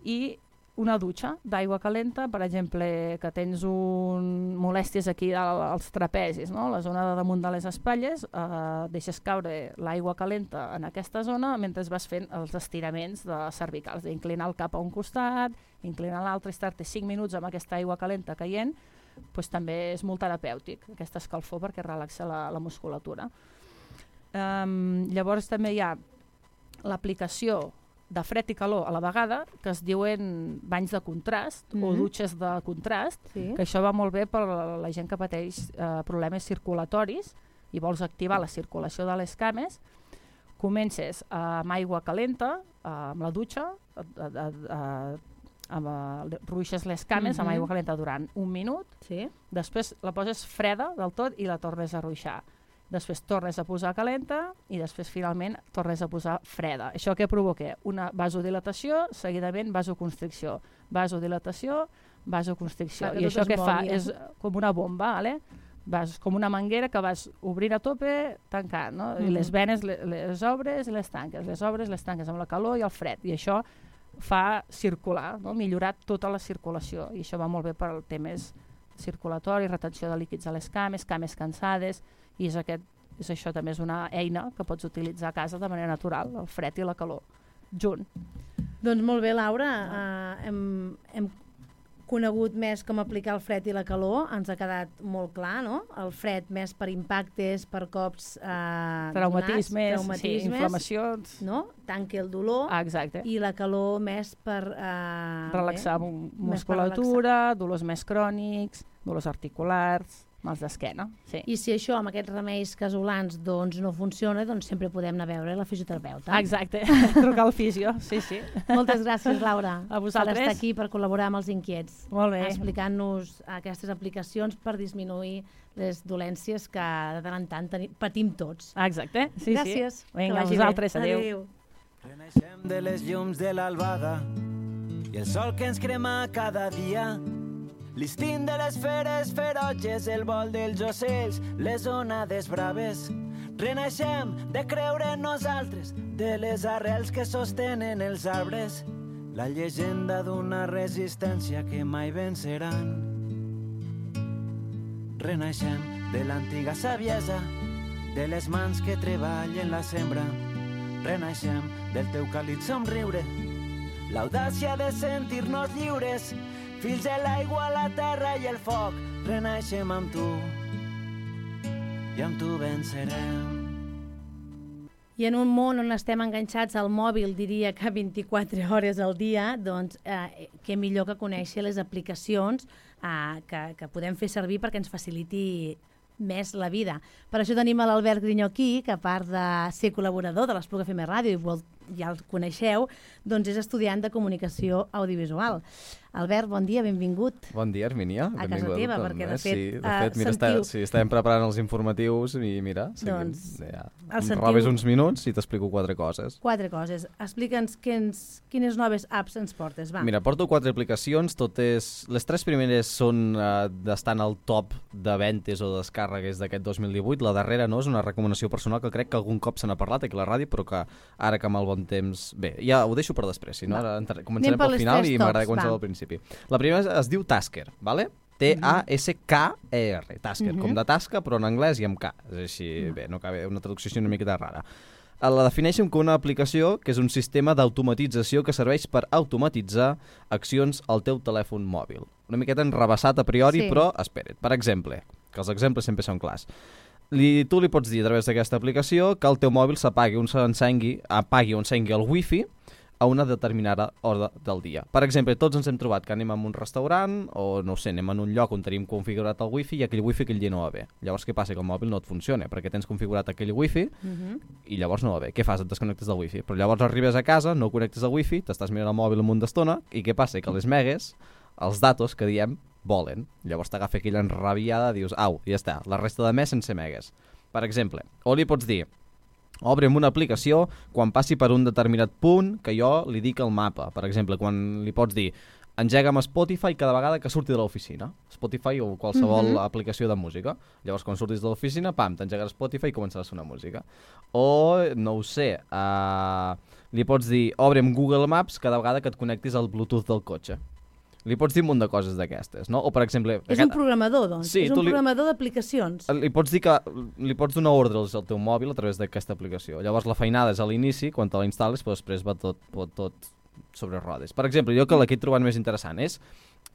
i una dutxa d'aigua calenta, per exemple, que tens un molèsties aquí al- als trapezis, no? La zona de damunt de les espatlles, eh, deixes caure l'aigua calenta en aquesta zona mentre vas fent els estiraments de cervicals, d'inclinar el cap a un costat, inclinar l'altre, estar-te cinc minuts amb aquesta aigua calenta caient, pues, també és molt terapèutic, aquesta escalfor, perquè relaxa la, la musculatura. Um, llavors també hi ha l'aplicació de fred i calor a la vegada, que es diuen banys de contrast o Mhm. dutxes de contrast, Sí. que això va molt bé per la la gent que pateix eh, problemes circulatoris i vols activar la circulació de les cames. Comences eh, amb aigua calenta, eh, amb la dutxa, eh, eh, eh, amb, eh, ruixes les cames amb Mhm. aigua calenta durant un minut, Sí. després la poses freda del tot i la tornes a ruixar. Després tornes a posar calenta i després finalment tornes a posar freda. Això què provoca? Una vasodilatació, seguidament vasoconstricció. Vasodilatació, vasoconstricció. Fa que I tot això es què fa? mogui, eh? És com una bomba, ¿vale? Vas com una manguera que vas obrint a tope, tancant, no? I Mhm. les venes le- les obres i les tanques, les obres les tanques amb la calor i el fred. I això fa circular, no? Millorar tota la circulació. I això va molt bé per al temes circulatori, retenció de líquids a les cames, cames cansades, i és, aquest, és això també és una eina que pots utilitzar a casa de manera natural, el fred i la calor, junt. Doncs molt bé, Laura. Uh, hem, hem conegut més com aplicar el fred i la calor. Ens ha quedat molt clar, no? El fred més per impactes, per cops uh, Traumatismes, donats, sí, traumatismes, inflamacions. no? Tanque el dolor. Ah, exacte. I la calor més per... Uh, Relaxar bé, mu- més per musculatura, dolors més crònics, dolors articulars, mals d'esquena. Sí. I si això amb aquests remeis casolans doncs, no funciona, doncs sempre podem anar a veure la fisioterapeuta. Exacte, trucar al fisio, sí, sí. Moltes gràcies, Laura, A vosaltres. per estar aquí, per col·laborar amb els inquiets. Molt bé. Explicant-nos aquestes aplicacions per disminuir les dolències que de tant en tant tenim, patim tots. Ah, exacte, sí, Gràcies. sí. Que Vinga, a vagi bé. vosaltres, adéu. Adéu. Renaixem de les llums de l'albada i el sol que ens crema cada dia. L'istint de les feres ferotges, el vol dels ocells, les onades braves. Renaixem de creure en nosaltres, de les arrels que sostenen els arbres. La llegenda d'una resistència que mai venceran. Renaixem de l'antiga saviesa, de les mans que treballen la sembra. Renaixem del teu càlid somriure, l'audàcia de sentir-nos lliures, fills de l'aigua, la terra i el foc. Renaixem amb tu i amb tu vencerem. I en un món on estem enganxats al mòbil, diria que vint-i-quatre hores al dia, doncs eh, què millor que conèixer les aplicacions eh, que, que podem fer servir perquè ens faciliti més la vida. Per això tenim a l'Albert Grinyó aquí, que a part de ser col·laborador de l'Espluga F M Ràdio, i vol, ja el coneixeu, doncs és estudiant de comunicació audiovisual. Albert, bon dia, benvingut. Bon dia, Hermínia. A casa Benvinguda teva, a tothom, perquè de eh? fet, Sí, de eh, fet mira, sentiu- està, sí, estàvem preparant els informatius i mira, seguim, Doncs, ja, el em sentiu- robes uns minuts i t'explico quatre coses. Quatre coses. Explica'ns quins, quines noves apps ens portes, va. Mira, porto quatre aplicacions, totes... Les tres primeres són uh, d'estar en el top de ventes o descàrregues d'aquest dos mil divuit. La darrera no, és una recomanació personal que crec que algun cop se n'ha parlat aquí a la ràdio, però que ara que amb el bon temps... Bé, ja ho deixo per després, si no, Va. ara entra... començarem Anem per pel les final tres i tops, m'agrada començar va. al principi. La primera es, es diu Tasker, ¿vale? T A S K E R, Tasker, Mhm. com de tasca, però en anglès i amb K. És així, bé, no cal una traducció així una miqueta rara. La defineixen com una aplicació que és un sistema d'automatització que serveix per automatitzar accions al teu telèfon mòbil. Una miqueta enrebaçat a priori, Sí. però espera't. Per exemple, que els exemples sempre són clars. Li, tu li pots dir a través d'aquesta aplicació que el teu mòbil s'apagui o s'encengui, apagui o encengui el wifi a una determinada hora del dia. Per exemple, tots ens hem trobat que anem a un restaurant o, no ho sé, anem en un lloc on tenim configurat el wifi i aquell wifi aquell dia no va bé. Llavors què passa? Que el mòbil no et funciona perquè tens configurat aquell wifi Mhm. i llavors no va bé. Què fas? Et desconnectes del wifi. Però llavors arribes a casa, no connectes el wifi, t'estàs mirant el mòbil un munt d'estona i què passa? Que les megues, els datos que diem, volen. Llavors t'agafa aquella enrabiada, dius, au, ja està, la resta de mes sense megues. Per exemple, o li pots dir, obre'm una aplicació quan passi per un determinat punt que jo li dic al mapa. Per exemple, quan li pots dir engega'm Spotify cada vegada que surti de l'oficina. Spotify o qualsevol Mhm. aplicació de música. Llavors, quan surtis de l'oficina, pam, t'engegaràs Spotify i començarà a sonar música. O, no ho sé, uh, li pots dir obre'm Google Maps cada vegada que et connectis al Bluetooth del cotxe. Li pots dir un munt de coses d'aquestes, no? O, per exemple... És un programador, doncs. Sí, és un tu li- programador d'aplicacions. Li pots dir que li pots donar ordres al teu mòbil a través d'aquesta aplicació. Llavors la feinada és a l'inici, quan te la instal·les, però després va tot, tot, tot sobre rodes. Per exemple, jo que la que he trobat més interessant és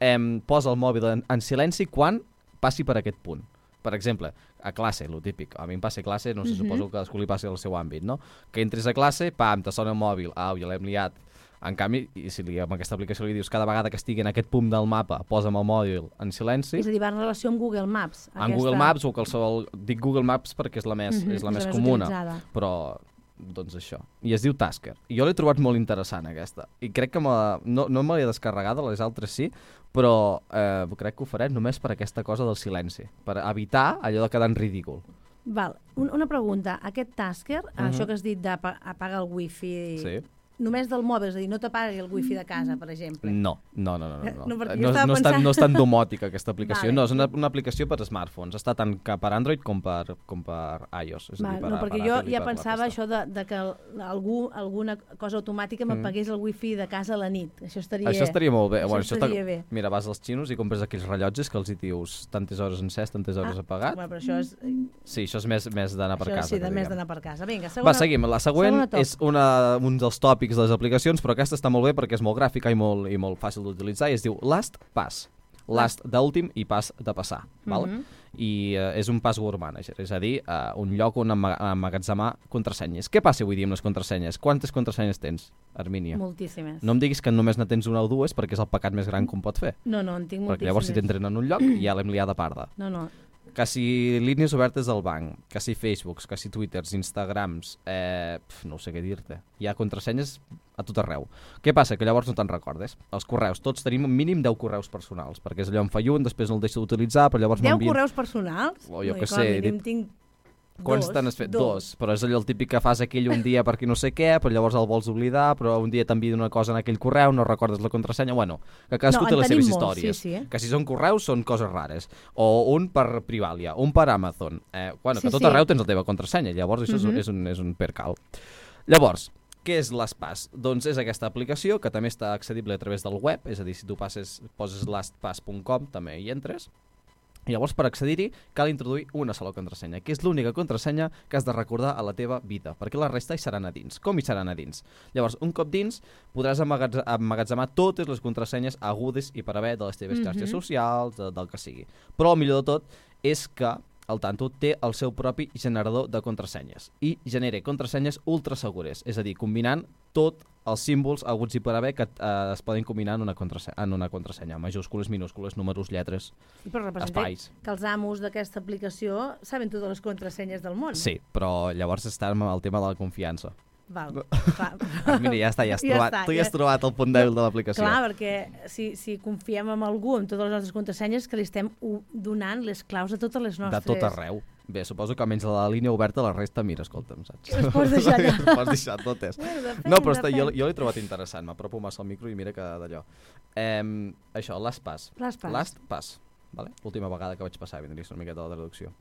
eh, posa el mòbil en, en silenci quan passi per aquest punt. Per exemple, a classe, lo típic. A mi em passa a classe, no sé, Mhm. suposo que cadascú li passi al seu àmbit, no? Que entres a classe, pam, te sona el mòbil, au, ja l'hem liat. En canvi, i si li, amb aquesta aplicació li dius cada vegada que estigui en aquest punt del mapa, posa'm el mòbil en silenci, És a dir, va en relació amb Google Maps. en Google Maps o qualsevol... Dic Google Maps perquè és la més, Mhm, és la és més la més comuna, utilitzada. però doncs això. I es diu Tasker. I jo l'he trobat molt interessant, aquesta. I crec que me, no, no me l'he descarregat, les altres sí, però eh, crec que ho faré només per aquesta cosa del silenci, per evitar allò de quedar en ridícul. Val, un, una pregunta. Aquest Tasker, Mhm. això que has dit d'apagar el wifi, Sí. només del mòbil, és a dir, no t'apagui el wifi de casa, per exemple. No, no, no, no. No, No, no. perquè no, jo estava no, és tan, pensant- no és tan domòtica aquesta aplicació. Vale. No, és una, una aplicació per smartphones. Està tant que per Android com per, com per iOS. És a Val, dir, per, no, perquè per jo Apple i ja per la pensava resta. això de, de que el- algú, alguna cosa automàtica Mm. m'apagués el wifi de casa a la nit. Això estaria, Això estaria molt bé. Això Bueno, estaria està- bé. Mira, vas als xinos i compres aquells rellotges que els hi dius tantes hores encès, tantes hores Ah, apagat. Bueno, però això és... Sí, això és més, més d'anar per això casa. sí, de que més diguem. d'anar per casa. Vinga, segona... Va, seguim. La següent segona top. és una, un dels tòpics de les aplicacions, però aquesta està molt bé perquè és molt gràfica i molt, i molt fàcil d'utilitzar i es diu Last Pass. Last d'últim i pas de passar. Val? Mhm. I uh, és un password manager, és a dir, uh, un lloc on emma- emmagatzemar contrasenyes. Què passa avui dia amb les contrasenyes? Quantes contrasenyes tens, Armínia? Moltíssimes. No em diguis que només ne tens una o dues perquè és el pecat més gran que un pot fer. No, no, en tinc moltíssimes. Perquè llavors si t'entren en un lloc ja l'hem liada parda. No, no. Que si línies obertes del banc, que si Facebooks, que si Twitters, Instagrams, eh, pf, no sé què dir-te. Hi ha contrasenyes a tot arreu. Què passa? Que llavors no te'n recordes. Els correus, tots tenim mínim deu correus personals, perquè és allò em fa un, després no el deixo d'utilitzar, però llavors deu m'envien... correus personals? O jo No, què i com a sé, mínim dit- tinc Quants dos, te n'has fet? Dos. Però és allò el típic que fas aquell un dia perquè no sé què, però llavors el vols oblidar, però un dia t'envien una cosa en aquell correu, no recordes la contrasenya, bueno, que cadascú No, té en les tenim seves molts, històries. sí, sí, eh? Que si són correus són coses rares. O un per Privalia, un per Amazon. Eh, bueno, Sí, que a tot sí. arreu tens la teva contrasenya, llavors això Mhm. és, és, un, és un percal. Llavors, què és LastPass? Doncs és aquesta aplicació que també està accedible a través del web, és a dir, si tu passes, poses lastpass punt com també hi entres. I llavors, per accedir-hi, cal introduir una sola contrasenya, que és l'única contrasenya que has de recordar a la teva vida, perquè la resta hi seran a dins. Com hi seran a dins? Llavors, un cop dins, podràs emmagatz- emmagatzemar totes les contrasenyes agudes i per haver de les teves Mhm. xarxes socials, de, del que sigui. Però el millor de tot és que el Tanto té el seu propi generador de contrasenyes i genera contrasenyes ultra segures, és a dir, combinant tot els símbols aguts i per haver que eh, es poden combinar en una, contrasenya, en una contrasenya, majúscules, minúscules, números, lletres, Sí, però representa espais. que els amos d'aquesta aplicació saben totes les contrasenyes del món. Sí, però llavors està amb el tema de la confiança. Val, clar. Ah, mira, ja està, ja has Ja trobat, està, tu ja ja- has trobat el punt dèbil de l'aplicació. Clar, perquè si, si confiem en algú amb totes les nostres contrasenyes, que li estem u- donant les claus de totes les De nostres... tot arreu. Bé, suposo que menys la línia oberta la resta, mira, escolta'm, saps? Les pots deixar allà. Les pots deixar totes. Bueno, depèn, No, però està, jo, depèn. jo l'he trobat interessant, m'apropo massa al micro i mira que d'allò. Eh, això, Last Pass. Last Pass. Last Pass. Vale? L'última vegada que vaig passar, vindria una miqueta la traducció.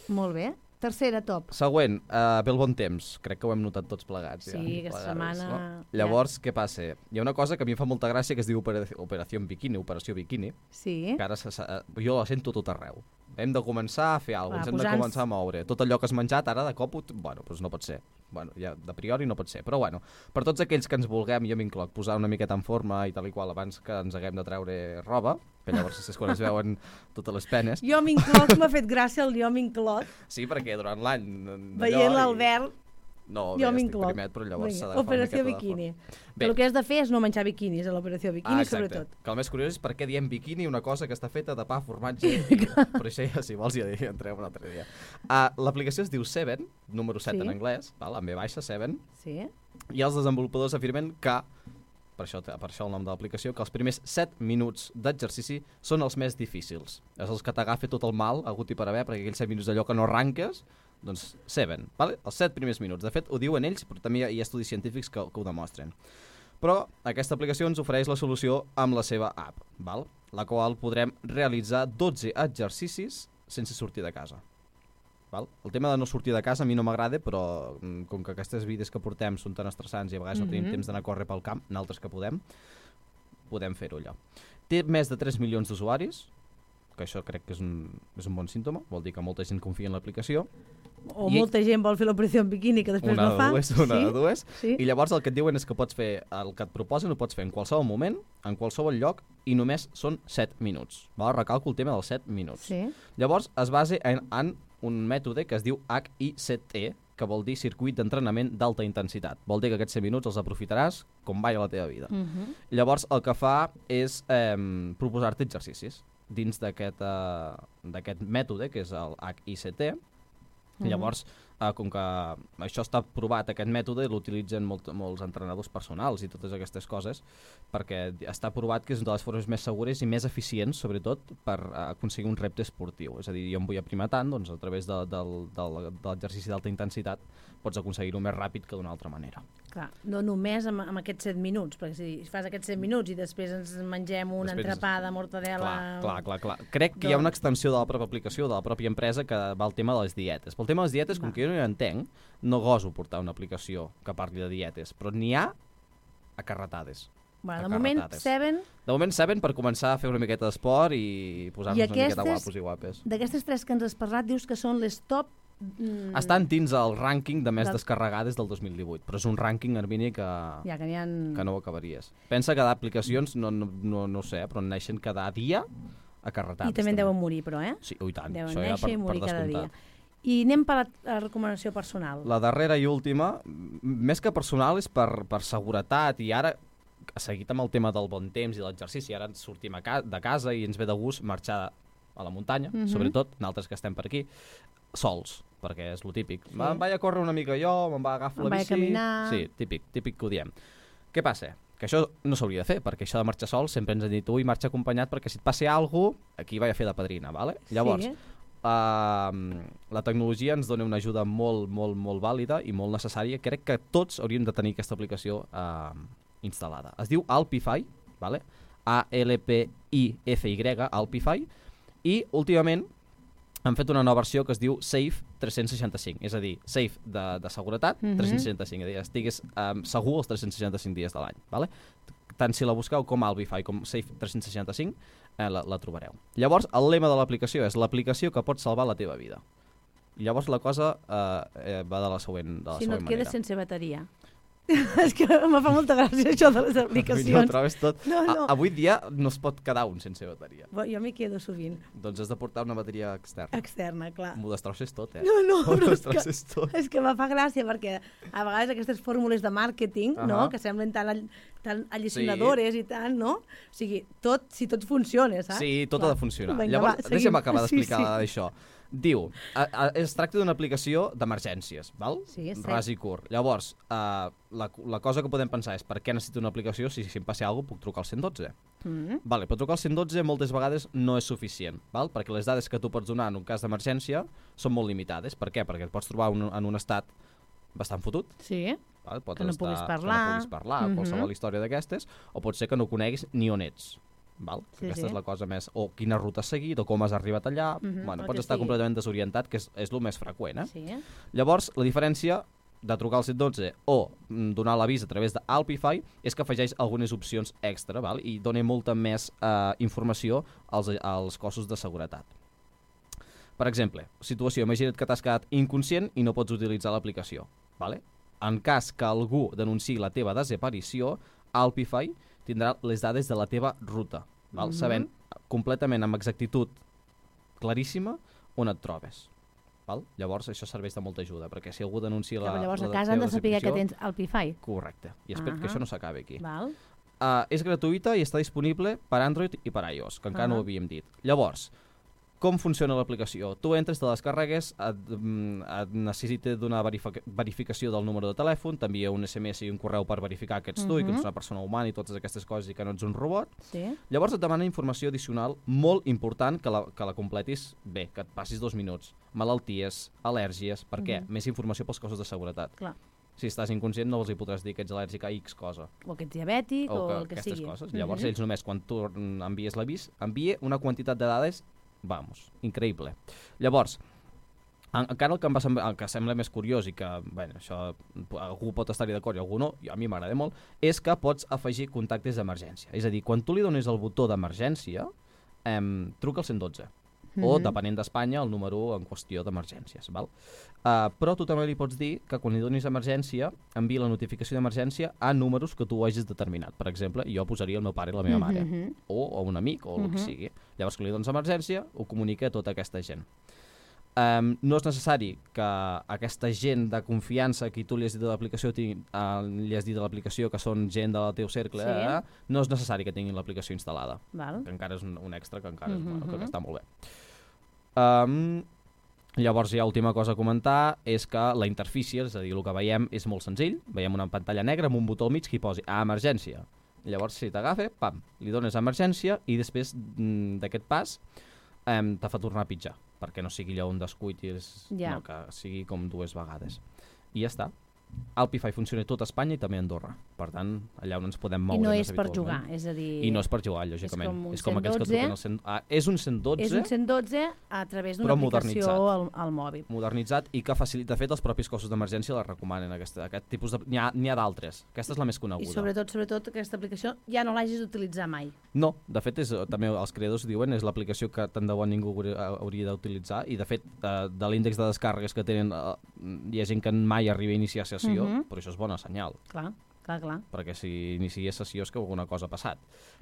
Molt bé. Tercera, top. Següent, uh, ve el bon temps. Crec que ho hem notat tots plegats. Sí, ja, aquesta plegades, setmana... No? Llavors, ja. Què passa? Hi ha una cosa que a mi em fa molta gràcia que es diu Operació, Operació Bikini, Operació Bikini, sí. que ara se, se, jo la sento tot arreu. Hem de començar a fer alguna cosa, ens hem posant... de començar a moure. Tot allò que has menjat, ara de cop, bueno, doncs no pot ser. Bueno, ja de priori no pot ser, però bueno, per tots aquells que ens vulguem, jo m'incloc, posar una miqueta en forma i tal i qual abans que ens haguem de treure roba, que llavors és quan es veuen totes les penes. Jo m'incloc, m'ha fet gràcia el jo m'incloc. Sí, perquè durant l'any... Veient l'Albert, no, jo bé, m'incloc. Primet, però llavors s'ha d'agafar Operació una miqueta Bikini. Bé. El que has de fer és no menjar biquinis a l'Operació Bikini, ah, sobretot. Que el més curiós és per què diem bikini, una cosa que està feta de pa, formatge... Però això ja, si vols, ja entrem un altre dia. Uh, L'aplicació es diu Seven, número set sí. en anglès, val? En ve baixa, Seven. Sí. I els desenvolupadors afirmen que, per això, per això el nom de l'aplicació, que els primers set minuts d'exercici són els més difícils. És els que t'agafa tot el mal, hagut i per haver, perquè aquells set minuts d'allò que no arranques, doncs Seven, vale? Els set primers minuts. De fet, ho diuen ells, però també hi ha, hi ha estudis científics que, que ho demostren. Però aquesta aplicació ens ofereix la solució amb la seva app, val? La qual podrem realitzar dotze exercicis sense sortir de casa. Val? El tema de no sortir de casa a mi no m'agrada, però com que aquestes vides que portem són tan estressants i a vegades mm-hmm. no tenim temps d'anar a córrer pel camp, naltres que podem, podem fer-ho allò. Té més de tres milions d'usuaris, que això crec que és un, és un bon símptoma, vol dir que molta gent confia en l'aplicació. O I molta gent vol fer l'operació en biquini que després una no fa. Dues, una sí? de dues. Sí. I llavors el que et diuen és que pots fer, el que et proposen ho pots fer en qualsevol moment, en qualsevol lloc, i només són set minuts. Val? Recalco el tema dels set minuts. Sí. Llavors es basa en, en un mètode que es diu H I C T, que vol dir circuit d'entrenament d'alta intensitat. Vol dir que aquests set minuts els aprofitaràs com mai a la teva vida. Uh-huh. Llavors el que fa és eh, proposar-te exercicis dins d'aquest uh, d'aquest mètode, que és el H I C T. Uh-huh. Llavors, eh, com que això està provat, aquest mètode, l'utilitzen molt, molts entrenadors personals i totes aquestes coses, perquè està provat que és una de les formes més segures i més eficients, sobretot, per uh, aconseguir un repte esportiu. És a dir, jo em vull aprimar tant, doncs a través de, de, de, de l'exercici d'alta intensitat pots aconseguir-ho més ràpid que d'una altra manera. Clar, no només amb, amb aquests set minuts, perquè si fas aquests set minuts i després ens mengem un després entrepà de mortadela... Clar, clar, clar, clar. Crec que doncs... hi ha una extensió de la pròpia aplicació, de la pròpia empresa, que va al tema de les dietes. Pel tema de les dietes, com que jo no hi entenc, no goso portar una aplicació que parli de dietes, però n'hi ha a carretades. Bueno, de moment, Seven... De moment, Seven per començar a fer una miqueta d'esport i posar-nos una miqueta guapos i guapes. D'aquestes tres que ens has parlat, dius que són les top... Mm, estan dins el rànquing de més del... descarregades del dos mil divuit, però és un rànquing, Armini, que, ja, que, ha... que no ho acabaries. Pensa que d'aplicacions, no, no, no, no sé, però neixen cada dia a carretades. I també en deuen morir, però, eh? Sí, oh, i tant. Deuen això ja néixer per, i morir per cada dia. I anem per la, la recomanació personal. La darrera i última, més que personal, és per, per seguretat, i ara, seguit amb el tema del bon temps i l'exercici, ara ens sortim a ca de casa i ens ve de gust marxar a la muntanya, mm-hmm. sobretot, nosaltres que estem per aquí, sols, perquè és lo típic. Sí. Me'n vaig a córrer una mica jo, me'n vaig a agafar la bici... Caminar... Sí, típic, típic que ho diem. Què passa? Que això no s'hauria de fer, perquè això de marxar sol sempre ens han dit ui, marxa acompanyat perquè si et passi alguna cosa, aquí vaig a fer de padrina, ¿vale? Llavors, sí. uh, la tecnologia ens dona una ajuda molt, molt, molt vàlida i molt necessària. Crec que tots hauríem de tenir aquesta aplicació uh, instal·lada. Es diu Alpify, ¿vale? A L P I F Y, Alpify, i últimament han fet una nova versió que es diu Safe tres-cents seixanta-cinc, és a dir, Safe de, de seguretat, mm-hmm. tres-cents seixanta-cinc, és a dir, estigues um, segur els tres-cents seixanta-cinc dies de l'any, ¿vale? Tant si la busqueu com Alpify com Safe tres-cents seixanta-cinc, eh, la, la trobareu. Llavors, el lema de l'aplicació és l'aplicació que pot salvar la teva vida. I llavors la cosa eh, eh, va de la següent, de la si següent manera. Si no et quedes sense bateria. És que em fa molta gràcia això de les aplicacions. No, trobes tot. No, no. A, avui dia no es pot quedar un sense bateria. Jo m'hi quedo sovint. Doncs has de portar una bateria externa. Externa, clar. M'ho destrosses tot, eh? No, no, però és que, tot. és que me fa gràcia perquè a vegades aquestes fórmules de màrqueting, uh-huh. no?, que semblen tan, all, tan alliçonadores sí. i tant, no? O sigui, tot, si tot funciona, saps? Sí, tot clar. Ha de funcionar. Vinga, llavors, va, deixa'm acabar d'explicar sí, sí. això. Diu, a, a, es tracta d'una aplicació d'emergències, val? Sí, sí. Ras i curt. Llavors, uh, la, la cosa que podem pensar és per què necessito una aplicació si, si em passi alguna cosa puc trucar al cent dotze? Mm-hmm. Vale, però trucar al cent dotze moltes vegades no és suficient, val? Perquè les dades que tu pots donar en un cas d'emergència són molt limitades. Per què? Perquè et pots trobar un, en un estat bastant fotut. Sí, val? Pot que no estar, puguis parlar. Que no puguis parlar, mm-hmm. qualsevol història d'aquestes, o pot ser que no coneguis ni on ets. val? Sí, Aquesta sí. és la cosa més... O quina ruta has seguit, o com has arribat allà... Mhm, bueno, el pots que estar sigui. completament desorientat, que és, és el més freqüent, eh? Sí. Llavors, la diferència de trucar al cent dotze o mm, donar l'avís a través d'Alpify és que afegeix algunes opcions extra, val? I dona molta més eh, informació als, als cossos de seguretat. Per exemple, situació, imagina't que t'has quedat inconscient i no pots utilitzar l'aplicació. Vale? En cas que algú denunciï la teva desaparició, Alpify tindrà les dades de la teva ruta, val? Mhm. Sabent completament amb exactitud claríssima on et trobes. Val? Llavors això serveix de molta ajuda, perquè si algú denuncia la, Clar, llavors la a casa han teva de saber que desaparició- tens Alpify. Correcte, i espero Ahà. que això no s'acabi aquí. Val? Uh, és gratuïta i està disponible per Android i per iOS, que encara no ho Ah. havíem dit. Llavors, com funciona l'aplicació? Tu entres, te les descarregues, et, mm, et necessita donar verific verificació del número de telèfon, t'envia un S M S i un correu per verificar que ets tu i que Mhm. ets una persona humana i totes aquestes coses i que no ets un robot. Sí. Llavors et demana informació addicional molt important que la, que la completis bé, que et passis dos minuts. Malalties, al·lèrgies, per què? Mhm. Més informació pels cossos de seguretat. Clar. Si estàs inconscient no els hi podràs dir que ets al·lèrgic a X cosa. O que ets diabètic o, O que, el que aquestes sigui. coses. Llavors Mhm. ells només quan tu mm, envies l'avís, envia una quantitat de dades, vamos, increïble. Llavors, en, encara el que em va semblar, el que sembla més curiós i que, bueno, això algú pot estar-hi d'acord i algú no, i a mi m'agrada molt, és que pots afegir contactes d'emergència. És a dir, quan tu li dones el botó d'emergència, eh, truca al cent dotze. O, Mhm. depenent d'Espanya, el número en qüestió d'emergències. Val? Uh, però tu també li pots dir que quan li donis emergència, enviï la notificació d'emergència a números que tu hagis determinat. Per exemple, jo posaria el meu pare i la meva mare, Mhm. o, o un amic, o el que Mhm. sigui. Llavors, quan li dones emergència, ho comunica a tota aquesta gent. Um, no és necessari que aquesta gent de confiança a qui tu li has dit de l'aplicació ti- uh, li has dit de l'aplicació que són gent del teu cercle, Sí. eh? No és necessari que tinguin l'aplicació instal·lada, Val. que encara és un, un extra que encara és, Mhm. bueno, que està molt bé. Um, llavors, ja última cosa a comentar és que la interfície, és a dir, el que veiem és molt senzill. Veiem una pantalla negra amb un botó al mig que hi posi a emergència. Llavors, si t'agafa, pam, li dones emergència i després mm, d'aquest pas um, te fa tornar a pitjar, perquè no sigui allò un descuit i és, Ja. no, que sigui com dues vegades. I ja està. Alpify funciona a tot Espanya i també a Andorra. Per tant, allà on ens podem I moure no més és per habitualment. jugar, és a dir... I no és per jugar, lògicament. com un és com aquells que cent dotze. truquen al cent... Ah, és un cent dotze, És un cent dotze a través d'una però aplicació modernitzat. al, al mòbil. modernitzat i que facilita. De fet, els propis cossos d'emergència la recomanen. Aquesta, aquest tipus de... N'hi ha, n'hi ha d'altres. Aquesta és la més I coneguda. sobretot, sobretot, aquesta aplicació ja no l'hagis d'utilitzar mai. No, de fet, és, també els creadors diuen és l'aplicació que tant de bo ningú hauria, hauria d'utilitzar i, de fet, de, de l'índex de descàrregues que tenen, eh, hi ha gent que mai arriba a iniciar sessió, Mhm. però això és bona senyal, Clar, clar, clar. perquè si inicia sessió és que alguna cosa ha passat.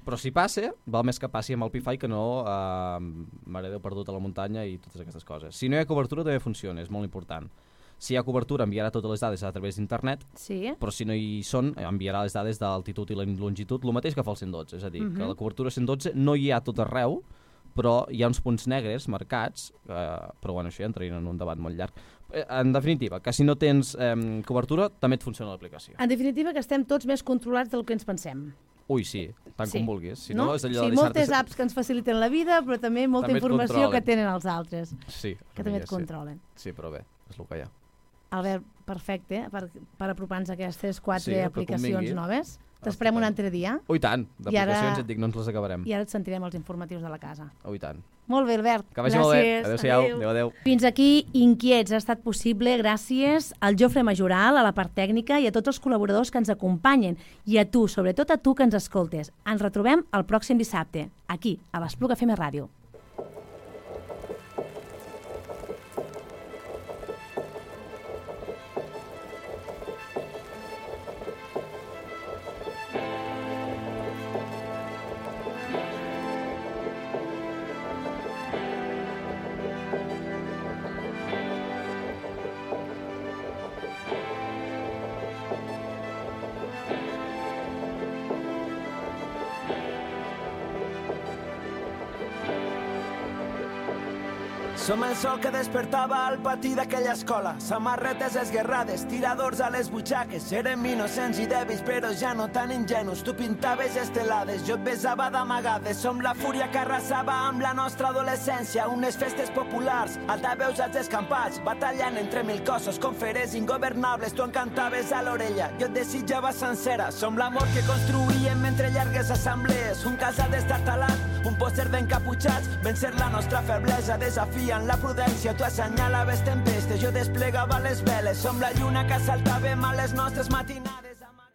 Però si passa, val més que passi amb el Alpify que no eh, mare Déu perdut a la muntanya i totes aquestes coses. Si no hi ha cobertura també funciona, és molt important. Si hi ha cobertura enviarà totes les dades a través d'internet, Sí, però si no hi són enviarà les dades d'altitud i la longitud, el mateix que fa el cent dotze, és a dir, Mhm. que la cobertura cent dotze no hi ha a tot arreu, però hi ha uns punts negres marcats, eh, però bueno, això ja entraria en un debat molt llarg. Eh, en definitiva, que si no tens eh, cobertura també et funciona l'aplicació. en definitiva que estem tots més controlats del que ens pensem. Ui, sí, tant Sí. com vulguis. Si no, és allò sí, de moltes deixar-te- apps que ens faciliten la vida, però també molta També et informació controlen. que tenen els altres, Sí, que també ja et sé. controlen. Sí, però bé, és el que hi ha. Albert, perfecte, eh, per, per apropar-nos a aquestes quatre Sí, el que aplicacions convingui. noves. T'esperem un altre dia Ui, tant, I ara- d'aplicacions et dic, no ens les acabarem. i ara et sentirem els informatius de la casa. Ui, tant. Molt bé, Albert. Que vagi Gràcies. molt bé. Adéu-siau. Adéu, adéu. Fins aquí, Inquiets. Ha estat possible gràcies al Jofre Majoral, a la part tècnica i a tots els col·laboradors que ens acompanyen. I a tu, sobretot a tu que ens escoltes. Ens retrobem el pròxim dissabte, aquí, a l'Espluga F M Ràdio. Som el sol que despertava al patí d'aquella escola. Samarretes esguerrades, tiradors a les butxaques. Érem innocents i dèbils, però ja no tan ingenus. Tu pintaves estelades, jo et besava d'amagades. Som la fúria que arrasava amb la nostra adolescència. Unes festes populars, altaveus als descampats, batallant entre mil cossos, com feres ingovernables. Tu encantaves a l'orella, jo et desitjava sencera. Som l'amor que construïem mentre llargues assemblees. Un casal destartalat, un pòster d'encaputxats. Vencer la nostra feblesa, desafiant la prudència. Tu assenyalaves tempestes, jo desplegava les veles. Som la lluna que saltàvem a les nostres matinades.